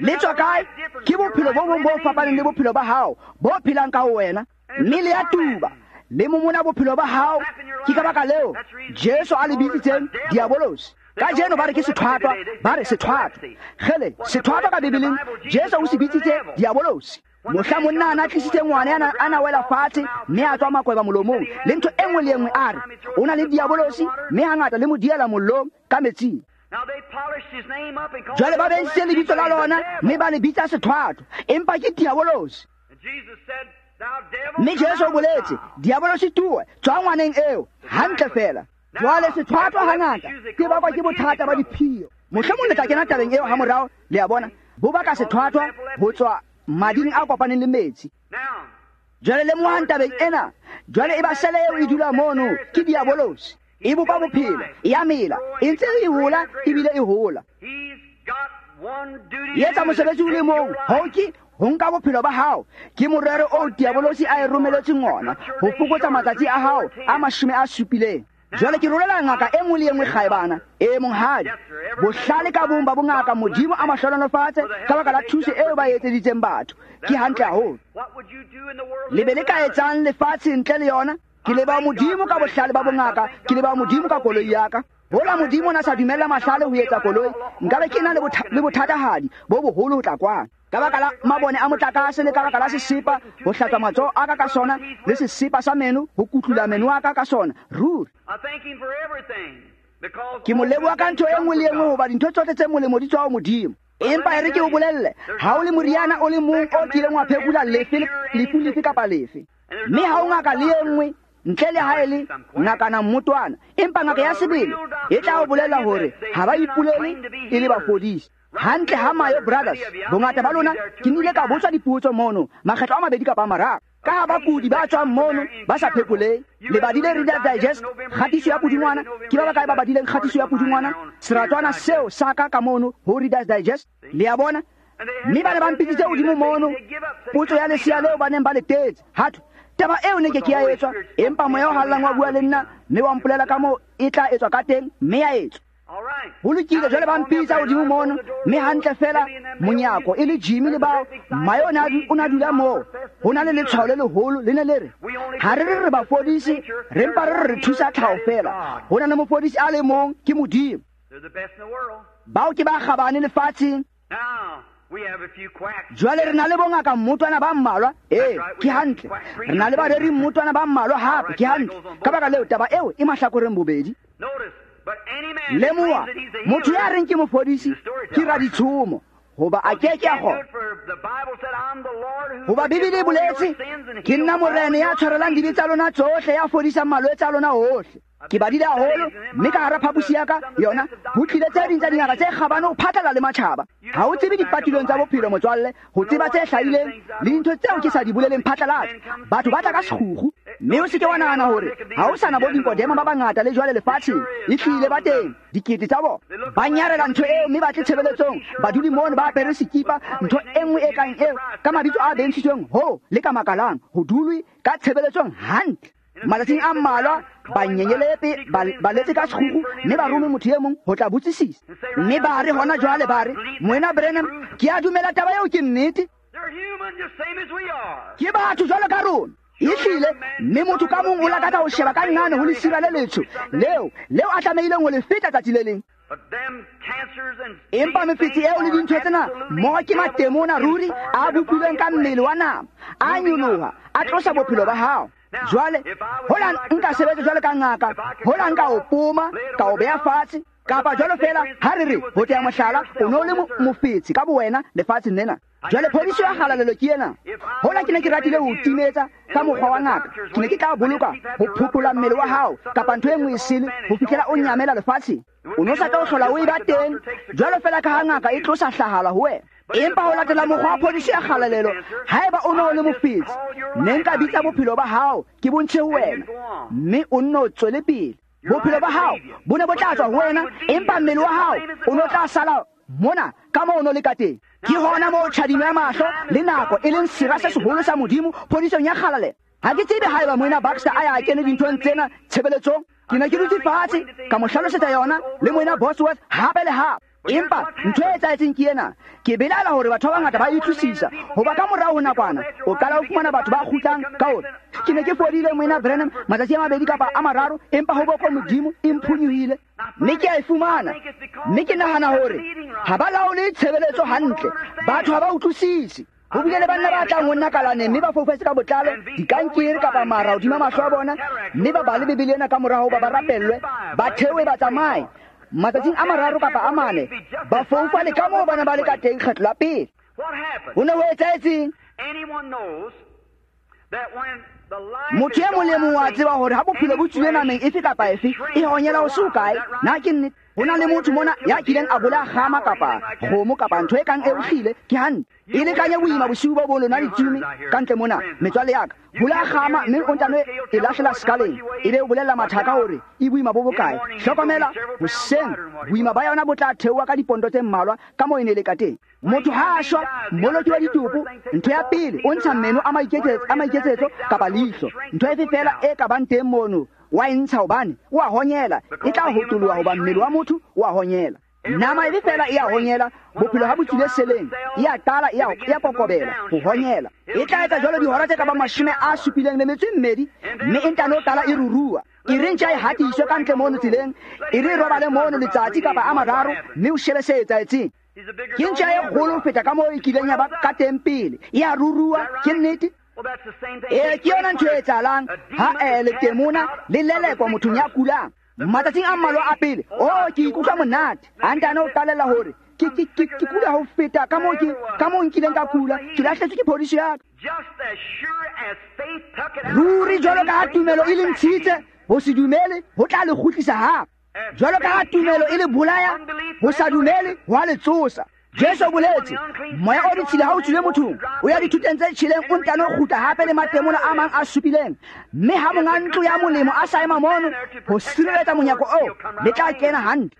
Le tswa kae? Ke bophelo bo bong bo fapaneng le bophelo ba hao, bo phelang ka ho wena. Mme le ya tuba, le momona bophelo ba hao. Ke ka baka leo Jesu a le bitsitseng diabolosi. Kajeno ba re ke sethwathwa, ba re sethwathwa. Kgele, sethwathwa ka Bibeleng Jesu o se bitsitse diabolosi. Mohla monna a na tlisitse ngwana a na wela fatshe mme a tswa makweba molomong le ntho e nngwe le e nngwe, a re o na le diabolosi, mme hangata le mo diela mollong ka metsing. Jwale ba bentshitse lebitso la lona mme ba le bitsa sethwathwa, empa ke diabolosi. Mme Jesu o boletse, diabolosi tuwe, tswa ngwaneng eo, hantle fela. Jwale sethwathwa hangata ke bakwa ke bothata ba diphio. Mohlomong le tla kena tabeng eo hamorao, le a bona, bo baka sethwathwa ho tswa mading a kopaneng le metsi. Jwale lemohang tabeng ena, jwale e ba sele eo e dula mono ke diabolosi. E bopa bophelo, e a mela, e ntse e hola ebile e hola. E etsa mosebetsi o le mong, ho ke ho nka bophelo ba hao. Ke morero oo diabolosi a e romeletseng ona, ho fokotsa matsatsi a hao a mashome a supileng. Jwale ke rolela ngaka e nngwe le e nngwe kgaebana, e monghadi, bohlale ka bong ba bongaka Modimo a mahlohonolofatse ka baka la thuso eo ba e etseditseng batho. Ke hantle haholo. Le be le ka etsang lefatshe ntle le yona? Ke leba Modimo ka bohlale ba bongaka, ke leba Modimo ka koloi ya ka. Hola Modimo na sa dumella mahlale ho etsa koloi, nkabe ke na le bothatahadi bo boholo ho tla kwana. Ka baka la mabone a motlakase le ka baka la sesepa ho hlatswa matsoho a ka ka sona, le sesepa sa meno ho kutlula meno a ka ka sona. Ruri ke mo leboha ka ntho e nngwe le e nngwe, hoba dintho tsohle tse molemo di tswa ho Modimo. Empa e re ke o bolelle, ha o le moriana o le mong o kileng wa phekola lefe lefu lefe kapa lefe, mme ha o ngaka le e nngwe ntle le ha e le ngakana mmotwana, empa ngaka ya sebele e tla o bolela hore ha ba ipolele e le bafodisi. Hantle ha Mayo Brothers, bongata ba lona ke nnile ka botswa dipotso mono makgetlo a mabedi kapa a mararo, ka ha bakudi ba tswang mono ba sa phekoleng. Le badile Reader's Digest, kgatiso ya pudungwana. Ke ba bakae ba badileng kgatiso ya pudungwana? Seratswana seo sa ka ka mono ho Reader's Digest, le a bona. Mme ba ne ba mpitsitse hodimo mono, potso ya lesea leo ba neng ba le tetse. Hathwe taba eo ne ke ke ya etswa, empa moya o hallang wa bua le nna mme wa mpolela ka moo e tla etswa ka teng, mme ya etswa. Ho lokile, jwale ba mpitsa hodimo mono, mme hantle fela monyako e le Jimmy le bao, mmae o na dula moo. Ho na le letshwao le leholo le ne le re, ha re re re bafodisi, re mpa re re re thusa tlhaho fela. Ho na le mofodisi a le mong, ke Modimo. Bao ke ba kgabane lefatsheng. Jwale re na le bongaka mmotwana ba mmalwa, ee, ke hantle. Re na le bareri mmotwana ba mmalwa hape, ke hantle. Ka baka leo taba eo e mahlakoreng bobedi. Lemoha, motho ya reng ke mofodisi ke raditshomo, hoba a ke ke a kgona. Hoba Bibele e boletse, ke nna Morena ya tshwarelang dibe tsa lona tsohle, ya fodisang malwetse a lona ohle. Ke badile haholo, mme ka hara phaposi ya ka yona ho tlile tse ding tsa dingaka tse kgabane ho phatlalla le matjhaba. Ha o tsebe dipatilong tsa bophelo motswalle, ho tseba tse hlahileng le dintho tseo ke sa di boleleng phatlalatsa. Batho ba tla ka sekgukgu, mme o se ke wa nahana hore ha o sa na bo Nikodema ba bangata le jwale lefatsheng. E hlile ba teng dikete tsa bona, ba nyarela ntho eo mme ba tle tshebeletsong, ba dule mono ba apere sekipa, ntho e nngwe e kang eo, ka mabitso a bentshitsweng ho le ka makalang, ho dulwe ka tshebeletsong hantle. Matsatsing a mmalwa ba nyenyelepe ba letse ka sekgukgu, mme ba rome motho e mong ho tla botsisisa. Mme ba re hona jwale ba re, Moena Branham, ke a dumela taba eo ke nnete. Ke batho jwalo ka rona. Ehlile, mme motho ka mong o lakatsa ho sheba ka nngane ho lesira le letsho leo leo a tlamehileng ho le feta tsatsi le leng. Empa mefetsi eo le dintho tsena mmoho ke matemona ruri a bopilweng ka mmele wa nama, a nyoloha, a tlosa bophelo ba hao. Jwale hola nka sebetsa jwale ka ngaka, hola nka o poma, ka o beha fatshe, kapa jwalo fela ha re re ho tea mohlala, o no le mofetsi ka bowena lefatsheng lena. Jwale phodiso ya kgalalelo ke ena. Hola ke ne ke ratile ho timetsa ka mokgwa wa ngaka, ke ne ke tla boloka ho phuthola mmele wa hao kapa ntho e nngwe e sele ho fihlela o nyamela lefatsheng. O no sa tla o hlola o e ba teng, jwalo fela ka ha ngaka e tlosa hlahala ho wena. Empa ho latela mokgwa wa phodiso ya kgalalelo, haeba o no le mofetsi, ne nka bitsa bophelo ba hao ke bontshe ho wena, mme o nno o tswele pele. Bophelo ba hao bo ne bo tla tswa ho wena, empa mmele wa hao o no tla sala mona ka moo o no le ka teng. Ke hona moo tjhadimo ya mahlo le nako e leng sera se seholo sa Modimo phodisong ya kgalalelo. Ha ke tsebe haeba Moena Baxter a ya a kene dinthong tsena tshebeletsong. Ke ne ke dutse fatshe ka mo hlalosetsa yona le Moena Bosworth hape le hape. Empa ntho e etsahetseng ke ena, ke belaela hore batho ba bangata ba utlwisisa, hoba ka morao ho nakwana o qala ho fumana batho ba kgutlang ka hore ke ne ke fodile Moena Branham matsatsi a mabedi kapa a mararo, empa ho boko Modimo e mphonyohile, mme ke a e fumana. Mme ke nahana hore ha ba laole tshebeletso hantle, batho ha ba utlwisise. Ho bile le banna ba tlang ho nna kalaneng mme ba foufetse ka botlalo, dikankere kapa mara hodima mahlo a bona, mme ba bale Bibele ena ka morao hoba ba rapellwe, ba theohe ba tsamaye. Matsatsing a mararo kapa a mane, ba foufale ka moo bana ba le ka teng kgetlo la pele. Ho ne ho etsahetseng? Motho e mong le mong wa tseba hore ha bophelo bo tswile nameng efe kapa efe, e honyela ho se hokae. Na ke nnete? Ho na le motho mona ya kileng a bolaya kgama kapa kgomo kapa ntho e kang eo, hlile ke hantle. E lekanye boima bosiu bo bo lona ditsume ka ntle mona, metswalle ya ka. Bolaya kgama mme o ntano e lahlela sekaleng, ebe o bolella mathaka hore e boima bo bokae. Hlokomela, hoseng boima ba yona bo tla theoha ka diponto tse mmalwa ka moo e ne le ka teng. Motho ha a shwa, mmoloki wa ditopo, ntho ya pele o ntsha meno a maiketsetso, a maiketsetso kapa leihlo. Ntho efe fela e ka bang teng mono wa e ntsha hobane o a honyela, e tla hotoloha hoba mmele wa motho o a honyela. Nama efe fela e a honyela, bophelo ha bo tswile seleng, e a qala e a kokobela ho honyela. E tla etsa jwalo dihora tse ka bang mashome a supileng le metso e mmedi, mme e ntano qala e rurua. E re ntja e hatiswe ka ntle mono tseleng, e re e robale mono letsatsi kapa a mararo, mme o shebe se etsahetseng. Ke ntja e kgolo ho feta ka moo e kileng ya ba ka teng pele, e a rurua, ke nnete. Ee, ke yona ntho e etsahalang ha eh, letemona le lelekwa mothong ya kulang. Matsatsing a mmalwa a pele, oh, ke ikutlwa monate. A ntane o qalella hore ke ke ke ke kula ho feta ka moo ke ka moo nkileng ka kula, ke lahletswe ke phodiso ya ka. Ruri jwalo ka ha tumelo e le ntshitse, ho se dumele ho tla le kgutlisa hape. Jwalo ka ha tumelo e le bolaya, ho sa dumele ho a le tsosa. Jesu o boletse, moya o ditshila ha o tswile mothong, o ya dithuteng tse tjheleng, o ntano kgutla hape le matemona a mang a supileng. Mme ha monga ntlo ya molemo a sa ema mono ho sireletsa monyako oo, le tla kena hantle.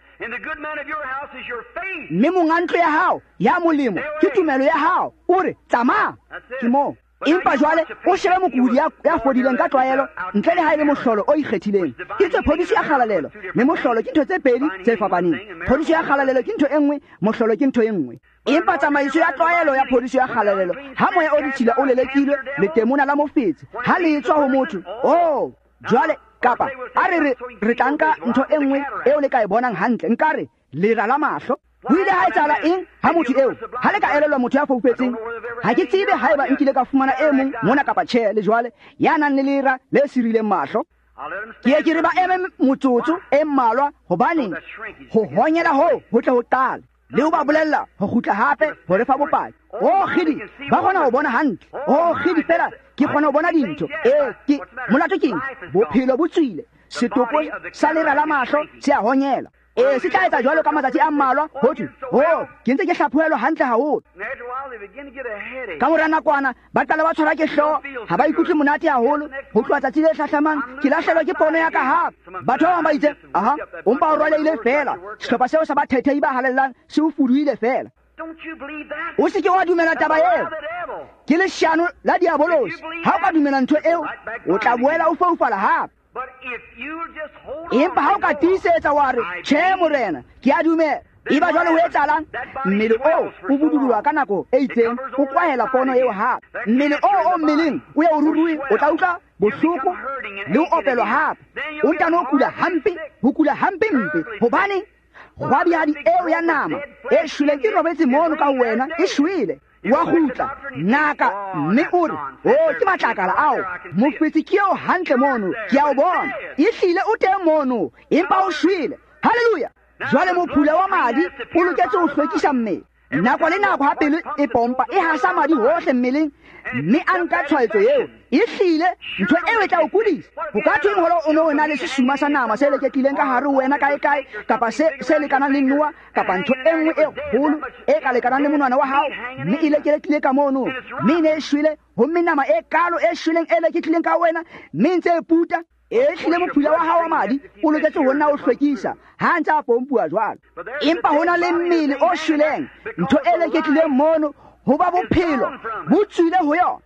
Mme monga ntlo ya hao ya molemo ke tumelo ya hao, o re tsamaya, ke moo. Empa jwale o shebe mokudi ya, ya fodileng ka tlwaelo, ntle le ha e le mohlolo o ikgethileng. Ke tse phodiso ya kgalalelo le mohlolo ke ntho tse pedi tse fapaneng. Phodiso ya kgalalelo ke ntho e nngwe, mohlolo ke ntho e nngwe. Empa tsamaiso ya tlwaelo ya phodiso ya kgalalelo, ha moya o ditshila o lelekilwe, letemona la mofetshe ha le tswa ho motho, oh, jwale kapa a re re re tla nka ntho e nngwe eo le ka e bonang hantle, nka re lera la mahlo. Ho ile ha etsahala eng ha motho eo ha le ka elellwa motho ya foufetseng? Ha ke tsebe haeba nkile ka fumana e mong mona kapa tjhe le jwale ya nang le lera le sirileng mahlo. Ke ye ke re ba eme motsotso e mmalwa, hobaneng ho honyela hoo ho tle ho qala le ho ba bolella ho kgutla hape ho re fa bopaki. O kgidi, ba kgona ho bona hantle. O kgidi fela ke kgona ho bona dintho. E ke molato keng? Bophelo bo tswile, setopo sa lera la mahlo se a honyela. E se tla etsa jwalo ka matsatsi a mmalwa ho thwe, oh, ke ntse ke hlaphohelwa hantle haholo. Ka mora nakwana ba qala ba tshwarwa ke hlooho, ha ba ikutlwe monate haholo. Ho tloha tsatsi le hlahlamang ke lahlehelwa ke pono ya ka hape. Batho ba bang ba itse, aha, o mpa o rwalehile feela, sehlopha seo sa bathethehi ba halellang se o fuduhile feela. O se ke wa dumela taba eo, ke leshano la diabolosi. Ha o ka dumela ntho eo, o tla boela o foufala hape. Empa ha o ka tiisetsa wa re, tjhe morena, ke a dumela, eba jwale ho etsahalang? Mmele oo o budulwa ka nako e itseng, o kwahela pono eo hape. Mmele oo o mmeleng o ye o ruruhe, o tla utlwa bohloko le ho opelwa hape. O ntano kula hampe, ho kula hampe mpe. Hobane kgwabihadi eo ya nama e shweleng e robetse mono ka ho wena, e shwele. Wa kgutla ngaka mme o re, o ke matlakala ao, mofetsi ke eo hantle mono, ke a o bona, ehlile o teng mono, empa o shwele. Haleluya! Jwale mophula wa madi o loketse ho hlwekisa mmele. Nako le nako ha pelo e pompa e hasa madi hohle mmeleng, mme a nka tshwaetso eo, ehlile ntho eo e tla o kudisa. Ho ka thweng hore o ne o na le sesuma sa nama se leketlileng ka hare ho wena kae-kae, kapa se, se lekanang le noa, kapa ntho e nngwe e kgolo e ka lekanang le monwana wa hao, mme e leketlile ka mono, mme e ne e shwele, homme nama e kalo e shweleng e leketlileng ka wena, mme e ntse e puta. E hlile mophula wa hao wa madi o loketse ho nna o hlwekisa ha ntse a pompuwa jwalo. Empa ho na le mmele o shweleng, ntho e leketlileng mono, ho ba bophelo bo tswile ho yona.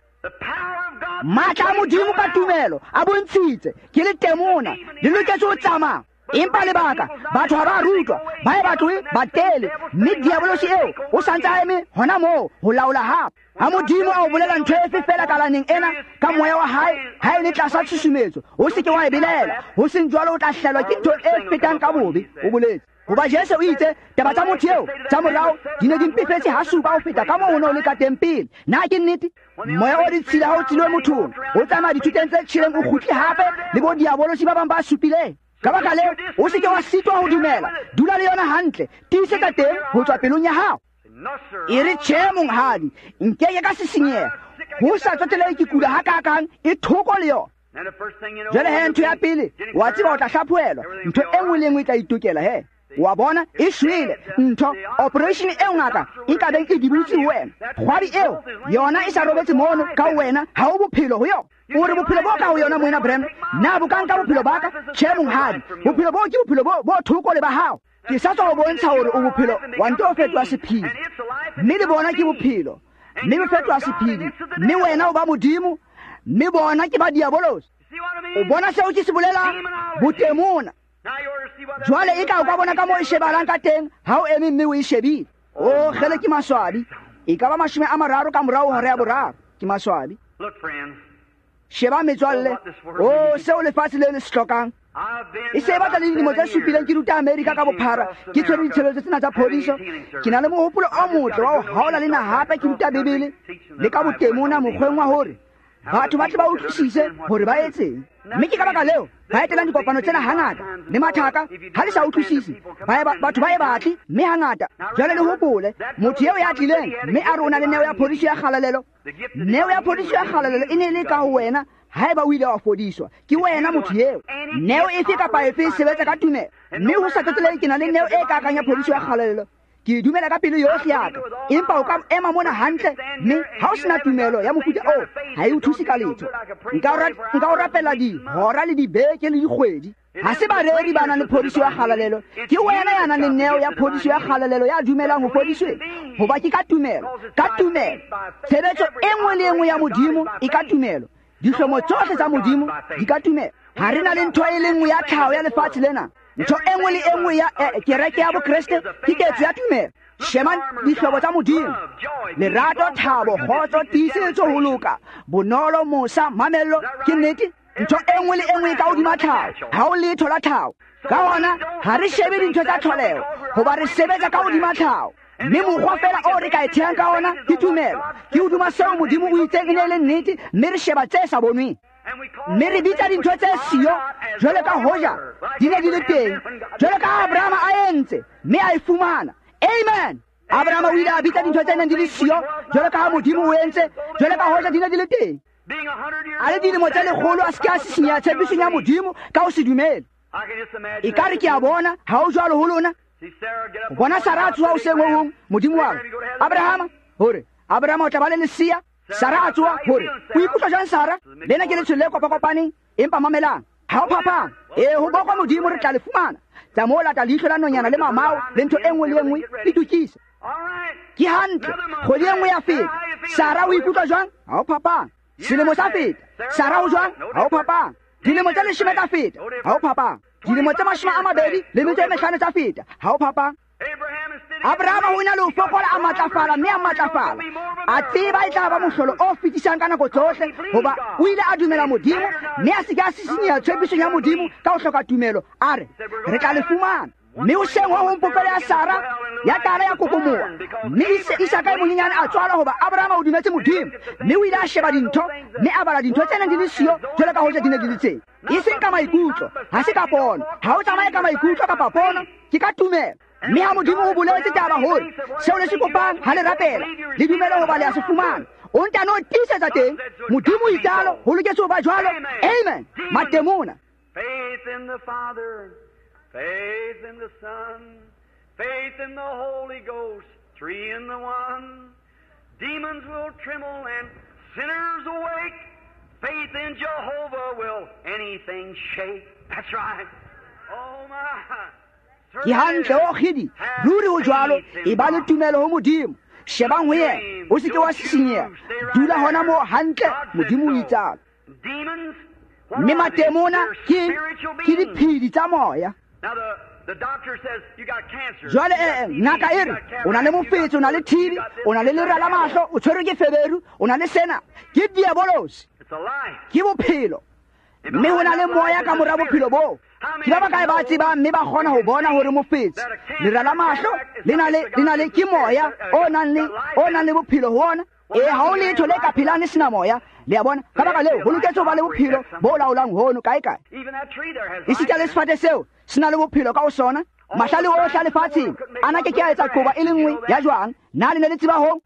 Matla a Modimo ka tumelo a bontshitse ke le temona le loketse ho tsamaya. Empa lebaka batho ha ba rutwa, ba e batloe ba tele, mme diabolosi eo o santse a eme hona moo ho laola hape. Ha Modimo a o bolela ntho efe fela kalaneng ena ka moya wa hae, ha e le tlasa tshusumetso, o se ke wa e belela, ho seng jwalo o tla hlelwa ke ntho e fetang ka bobe, o boletse. Hoba Jesu o itse, taba tsa motho eo tsa morao di ne di mpefetse ha supa ho feta ka moo ho ne o le ka teng pele. Na ke nnete? Moya o ditshila ha o tswile mothong, o tsamaya dithuteng tse tjheleng, o kgutle hape le bo diabolosi ba bang ba supileng. Ka baka leo, o se ke wa sitwa ho dumela, dula le yona hantle, tiisetsa teng ho tswa pelong ya hao. E re, tjhe monghadi, nkeke ka sisinyeha, ho sa tsotelehe ke kula hakakang, e thoko le yona. Jwale he, ntho ya pele, wa tseba o tla hlaphohelwa, ntho e nngwe le nngwe e tla itokela he. Wa bona, e shwele ntho, operation eo ngaka e ka beng e dibutse ho wena, kgwabi eo yona e sa robetse mono ka ho wena, ha o bophelo ho yona. O re bophelo bo ka ho yona, moena Branham, na bo ka nka bophelo ba ka? Tjhe monghadi, bophelo bo ke bophelo bo bo thoko le ba hao. Ke sa tswa ho bontsha hore o bophelo wa nto o fetoha sephedi, mme le bona ke bophelo, mme bo fetoha sephedi, mme wena o ba Modimo, mme bona ke ba diabolosi. O bona seo ke se bolelang? Botemona. Jwale e ka o ka bona ka moo e shebahalang ka teng ha o eme mme o e shebile. O kgele, ke maswabi, e ka ba mashome a mararo ka morao hora ya boraro. Ke maswabi. Sheba metswalle, o seo lefatshe le le se hlokang. E se e batla le dilemo tse supileng ke ruta Amerika ka bophara, ke tshwere ditshebeletso tsena tsa phodiso. Ke na le mohopolo o motle wa ho haola le na hape ke ruta Bibele le ka botemona mokgweng wa hore batho ba tle ba utlwisise hore ba etseng. Mme ke ka baka leo ba etelang dikopano tsena hangata le mathaka ha le sa utlwisise, batho ba e batle, mme hangata. Jwale le hopole, motho eo ya tlileng mme a re o na le neo ya phodiso ya kgalalelo, neo ya phodiso ya kgalalelo e ne le ka ho wena haeba o ile wa fodiswa. Ke wena motho eo. Neo efe kapa efe e sebetsa ka tumelo, mme ho sa tsotellehe ke na le neo e kakang ya phodiso ya kgalalelo, ke e dumela ka pelo yohle ya ka, empa o ka ema mona hantle mme ha o sena tumelo ya mofuta oo, ha e o thuse ka letho. Nka o rapela dihora le dibeke le dikgwedi. Ha se bareri ba nang le phodiso ya kgalalelo, ke wena ya nang le neo ya phodiso ya kgalalelo ya dumelang ho fodisweng, hoba ke ka tumelo, ka tumelo. Tshebetso e nngwe le e nngwe ya Modimo e ka tumelo, dihlomo tsohle tsa Modimo di ka tumelo. Ha re na le ntho e le nngwe ya tlhaho ya lefatshe lena. Ntho e nngwe le e nngwe ya kereke ya Bokreste ke ketso ya tumelo. Sheba dihlobo tsa Modimo: lerato, thabo, kgotso, tiisetso, ho loka, bonolo, mosa, mamello. Ke nnete? Ntho e nngwe le e nngwe e ka hodima tlhaho, ha o letho la tlhaho. Ka hona ha re shebe dintho tsa tlholeho, hoba re sebetsa ka hodima tlhaho. Mme mokgwa fela o re ka e thehang ka ona ke tumelo, ke hodima seo Modimo o itseng e ne e le nnete, mme re sheba tse sa bonweng. Mme re bitsa dintho tse siyo jwalo ka hoja di ne di le teng, jwalo ka Abrahama a entse, mme a e fumana. Amen. Abrahama o ile a bitsa dintho tse neng di le siyo jwalo ka ha Modimo o entse, jwalo ka hoja di ne di le teng. A le dilemo tse lekgolo a se ke a sisinyeha tshepisong ya Modimo ka ho se dumele. Ekare ke a bona ha o jwalo ho lona. O bona Sara a tsoha hoseng ho hong, Modimo wa re, Abrahama, hore Abrahama o tla ba le lesea. Sara a tsoha, hore o ikutlwa jwang Sara? Lena ke letsholo le kopakopaneng, empa mamelang, ha o phapang. Ee, ho bokwa Modimo, re tla le fumana. Tsa moo lata leihlo la nonyana le mamao le ntho e nngwe le e nngwe le tukise. Ke hantle, kgwedi e nngwe ya feta. Sara o ikutlwa jwang? Ha o phapang. Selemo sa feta. Sara o jwang? Ha o phapang. Dilemo tse leshome tsa feta. Ha o phapang. Dilemo tse mashome a mabedi le metso e mehlano tsa feta. Ha o phapang. Abrahama o na le ho fokola, a matlafala, mme a matlafala. A tseba e tla ba mohlolo o fetisang ka nako tsohle, hoba o ile a dumela Modimo, mme a se ke a sisinyeha tshepisong ya Modimo ka ho hloka tumelo. A re, re tla le fumana. Mme hoseng ho hong popelo ya Sara ya qala ya kokomoha, mme Isaka e monyenyane a tswalwa, hoba Abrahama o dumetse Modimo. Mme o ile a sheba dintho, mme a bala dintho tse neng di le siyo jwalo ka hoja di ne di le teng. E seng ka maikutlo, ha se ka pono. Ha o tsamaye ka maikutlo kapa pono, ke ka tumelo. Mme ha Modimo o boletse taba hore seo le se kopang ha le rapela, le dumele hoba le a se fumana. O ntano tiisetsa teng. Modimo o itsalo, ho loketse ho ba jwalo. Amen. Matemona. Faith in the Father, faith in the Son, faith in the Holy Ghost, three in the one. Demons will tremble and sinners awake. Faith in Jehovah will anything shake. That's right. Oh my. Ke hantle, o kgidi, ruri ho jwalo. E ba le tumelo ho Modimo. Shebang ho yena, o se ke wa sisinyeha. Dula hona moo hantle, Modimo o itsalo. Mme matemona ke ke diphedi tsa moya. Jwale eh, ngaka e re o na le mofetshe, o na le T B, o na le lera la mahlo, o tshwerwe ke feberu, o na le sena. Ke diabolosi, ke bophelo. Mme ho na le moya ka mora bophelo boo. Ke ba bakae ba tsebang mme ba kgona ho bona hore mofetshe, lera la mahlo le na le, le na le ke moya o nang le, o nang le bophelo ho ona. E ha o letho le ka phelang le sena moya. Le a bona? Ka baka leo ho loketse ho ba le bophelo bo laolang hono kae kae. Esita le sefate seo se na le bophelo ka ho sona. Mahlale ohle a lefatsheng ana ke ke a etsa qoba e le nngwe ya jwang. Na le ne le tseba hoo?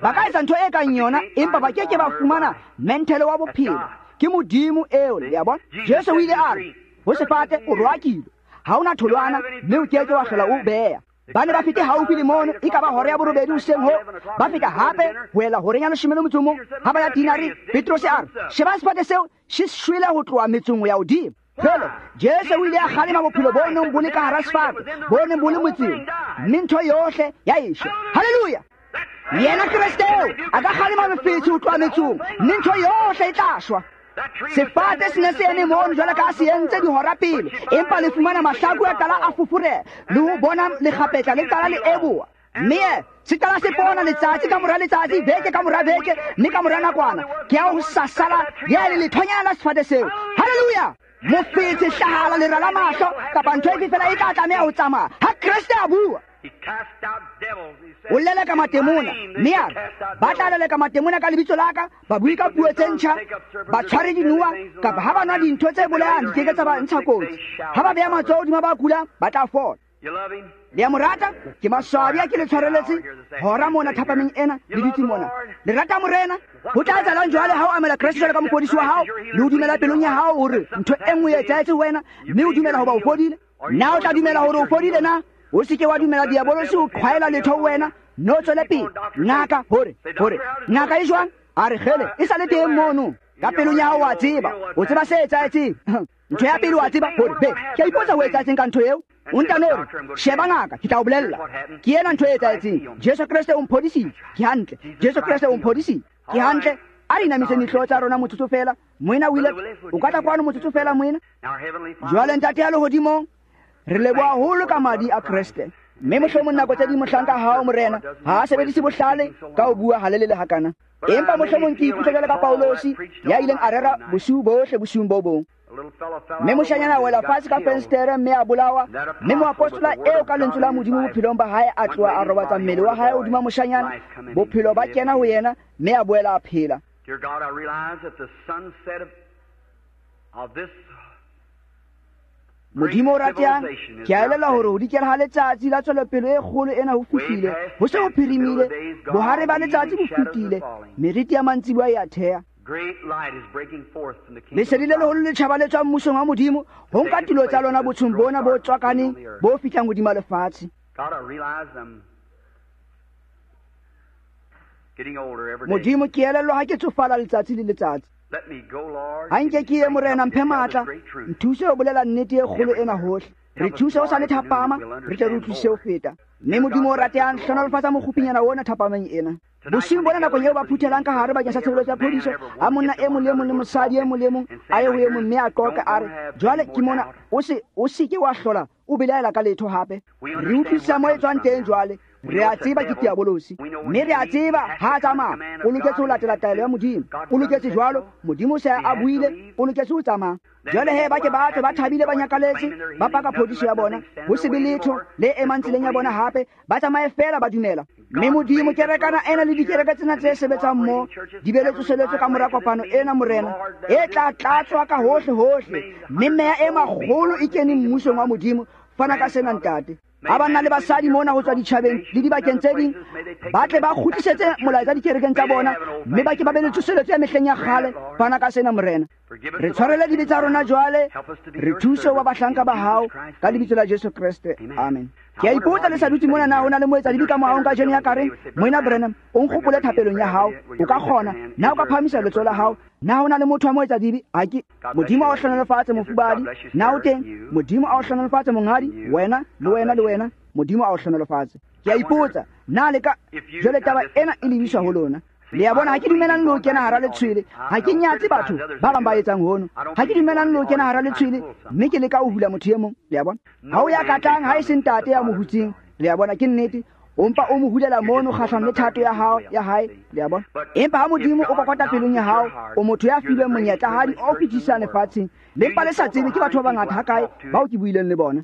Ba ka etsa ntho e kang yona, empa ba ke ke ba fumana menthele wa bophelo. Ke Modimo eo, le a bona? Jesu o ile a re ho sefate o roakilwe, ha ona tholwana, mme o ke ke wa hlola o beha. Ba ne ba fete haufi le mono, e ka ba hora ya borobedi hoseng ho. Ba feta hape ho ela horeng ya leshome le motso o mong. Ha ba ya tinare, Petrose a re, sheba sefate seo se shwele ho tloha metsong ho ya hodimo. Jwale Jesu o ile a kgalema bophelo bo neng bo le ka hara sefate, bo neng bo le motseng, mme ntho yohle ya eshwa. Haleluya! Yena Kreste eo a ka kgalema mofetshe ho tloha metsong, mme ntho yohle e tla shwa. Sefate se ne se eme mono jwalo ka se entse dihora pele, empa le fumana mahlaku a qala a foforeha, le ho bona lekgapetla le qala le eboha. Mme se qala se pona letsatsi ka mora letsatsi, beke ka mora beke, mme ka mora nakwana ke ya ho sasala ya le lethonyana la sefate seo. Haleluya! Mofetshe, hlahala, lera la mahlo kapa ntho efe fela e tla tlameha ho tsamaya ha Kreste a bua. O leleka matemona, mme a re ba tla leleka matemona ka lebitso la ka, ba bue ka puo tse ntjha, ba tshware dinoha, kapa ha ba nwa dintho tse bolayang di ke ke tsa ba ntsha kotsi. Ha ba beha matsoho hodima ba kulang, ba tla fola. Le a mo rata? Ke maswabi a ke le tshwareletse hora mona thapameng ena le dutse mona. Le rata Morena? Ho tla etsahalang jwale ha o amela Kreste jwalo ka mofodisi wa hao, le o dumela pelong ya hao hore ntho e nngwe e etsahetse ho wena, mme o dumela hoba o fodile? Na o tla dumela hore o fodile na? O se ke wa dumela diabolosi o qhwaela letho ho wena, no tswele pele. Ngaka hore, hore ngaka e jwang? A re kgele, e sa le teng mono. Ka pelong ya hao wa tseba, o tseba se etsahetseng. Ntho ya pele wa tseba hore be, ke a ipotsa ho etsahetseng ka ntho eo. O ntano hore sheba ngaka, ke tla o bolella. Ke ena ntho e etsahetseng. Jesu Kreste o mphodisitse. Ke hantle. Jesu Kreste o mphodisitse. Ke hantle. A re inamiseng dihlooho tsa rona motsotso fela. Moena o ile, o ka tla kwano motsotso fela moena. Jwale Ntate ya lehodimong, re leboha haholo ka madi a Kreste. Mme mohlomong nako tse ding mohlanka hao Morena ha a sebedise bohlale ka ho bua halelele hakana. Empa mohlomong ke ikutlwa jwalo ka Paulosi ya ileng a rera bosiu bohle bosiung bo bong. Mme moshanyana a wela fatshe ka fensetere mme a bolawa, mme moapostola eo ka lentswe la Modimo bophelong ba hae a tloha a robatsa mmele wa hae hodima moshanyana, bophelo ba kena ho yena mme a boela a phela. Dear God, I realize that the sunset of, of this Modimo o ratehang, ke a elellwa hore ho dikela ha letsatsi la tswelopele e kgolo ena ho fihlile, ho se ho phirimile, bohare ba letsatsi bo fetile, meriti ya mantsiboya e a thea. great light is breaking forth from the kingdom. Lesedi le leholo le tjhaba le tswang mmusong wa Modimo, ho nka tulo tsa lona botshong bona bo tswakaneng bo fihlang hodima lefatshe. God, I realize I'm getting older every day. Modimo, ke elellwa ha ke tsofala letsatsi le letsatsi. Let me go, Lord. Ha nke ke ye Morena, mphe matla, nthuse ho bolela nnete e kgolo ena hohle. Re thuse ho sa le thapama, re tle re utlwisise ho feta. Mme Modimo o ratehang, hlohonolofatsa mokgopinyana ona thapameng ena. Bosiung bona nakong eo ba phuthelang ka hare bakeng sa tshebeletso ya phodiso, a monna e mong le e mong le mosadi e mong le e mong a ye ho e mong mme a qoqe a re, jwale ke mona, o se o se ke wa hlola o belaela ka letho hape. Re utlwisisa mo e tswang teng jwale. Re a tseba ke diabolosi, mme re a tseba ha a tsamaya o loketse ho latela taelo ya Modimo. O loketse jwalo, Modimo se a buile, o loketse ho tsamaya. Jwale he ba ke ba tswe ba thabile ba nyakaletse, ba paka phodiso ya bona, ho se be letho le emang tseleng ya bona hape, ba tsamaye feela ba dumela. Mme Modimo, kerekana ena le dikereke tsena tse sebetsang mo di be le tsoseletso ka mora kopano ena Morena, e tla tlatswa ka hohle hohle, mme meya e makgolo e keneng mmusong wa Modimo. Fana ka sena Ntate. Ha banna le basadi mona ho tswa ditjhabeng le dibakeng tse ding ba tle ba kgutlisetse molaetsa dikerekeng tsa bona, mme ba ke ba be le tsoseletso ya mehleng ya kgale. Fana ka sena Morena. Re tshwarele dibe tsa rona jwale, re thuse ho ba bahlanka ba hao ka lebitso la Jesu Kreste. Amen. Ke a ipotsa le sa dutse mona, na ho na le moetsadibe ka moahong kajeno ya ka reng, Moena Branham, o nkgopole thapelong ya hao? O ka kgona na o ka phahamisa letsoho la hao? Na ho na le motho wa moetsadibe? Ha ke. Modimo a o hlohonolofatse mofubadi. Na o teng? Modimo a o hlohonolofatse monghadi, wena le wena le wena. Modimo a o hlohonolofatse. Ke a ipotsa na le ka jwale taba ena e lebiswa ho lona. Le a bona, ha ke dumelane le ho kena hara letshwele, ha ke nyatse batho ba bang ba etsang hono. Ha ke dumelane le ho kena hara letshwele, mme ke leka ho hula motho e mong. Le a bona, ha o ya katlang ha e se ntate ya mo hutseng. Le a bona, ke nnete. O mpa o mo hulela mono kgahlano le thato ya hao ya hae. Le a bona. Empa ha Modimo o kokota pelong ya hao, o motho ya filweng monyetla hadi o fetisang lefatsheng. Le mpa le sa tsebe ke batho ba bangata hakae bao ke buileng le bona.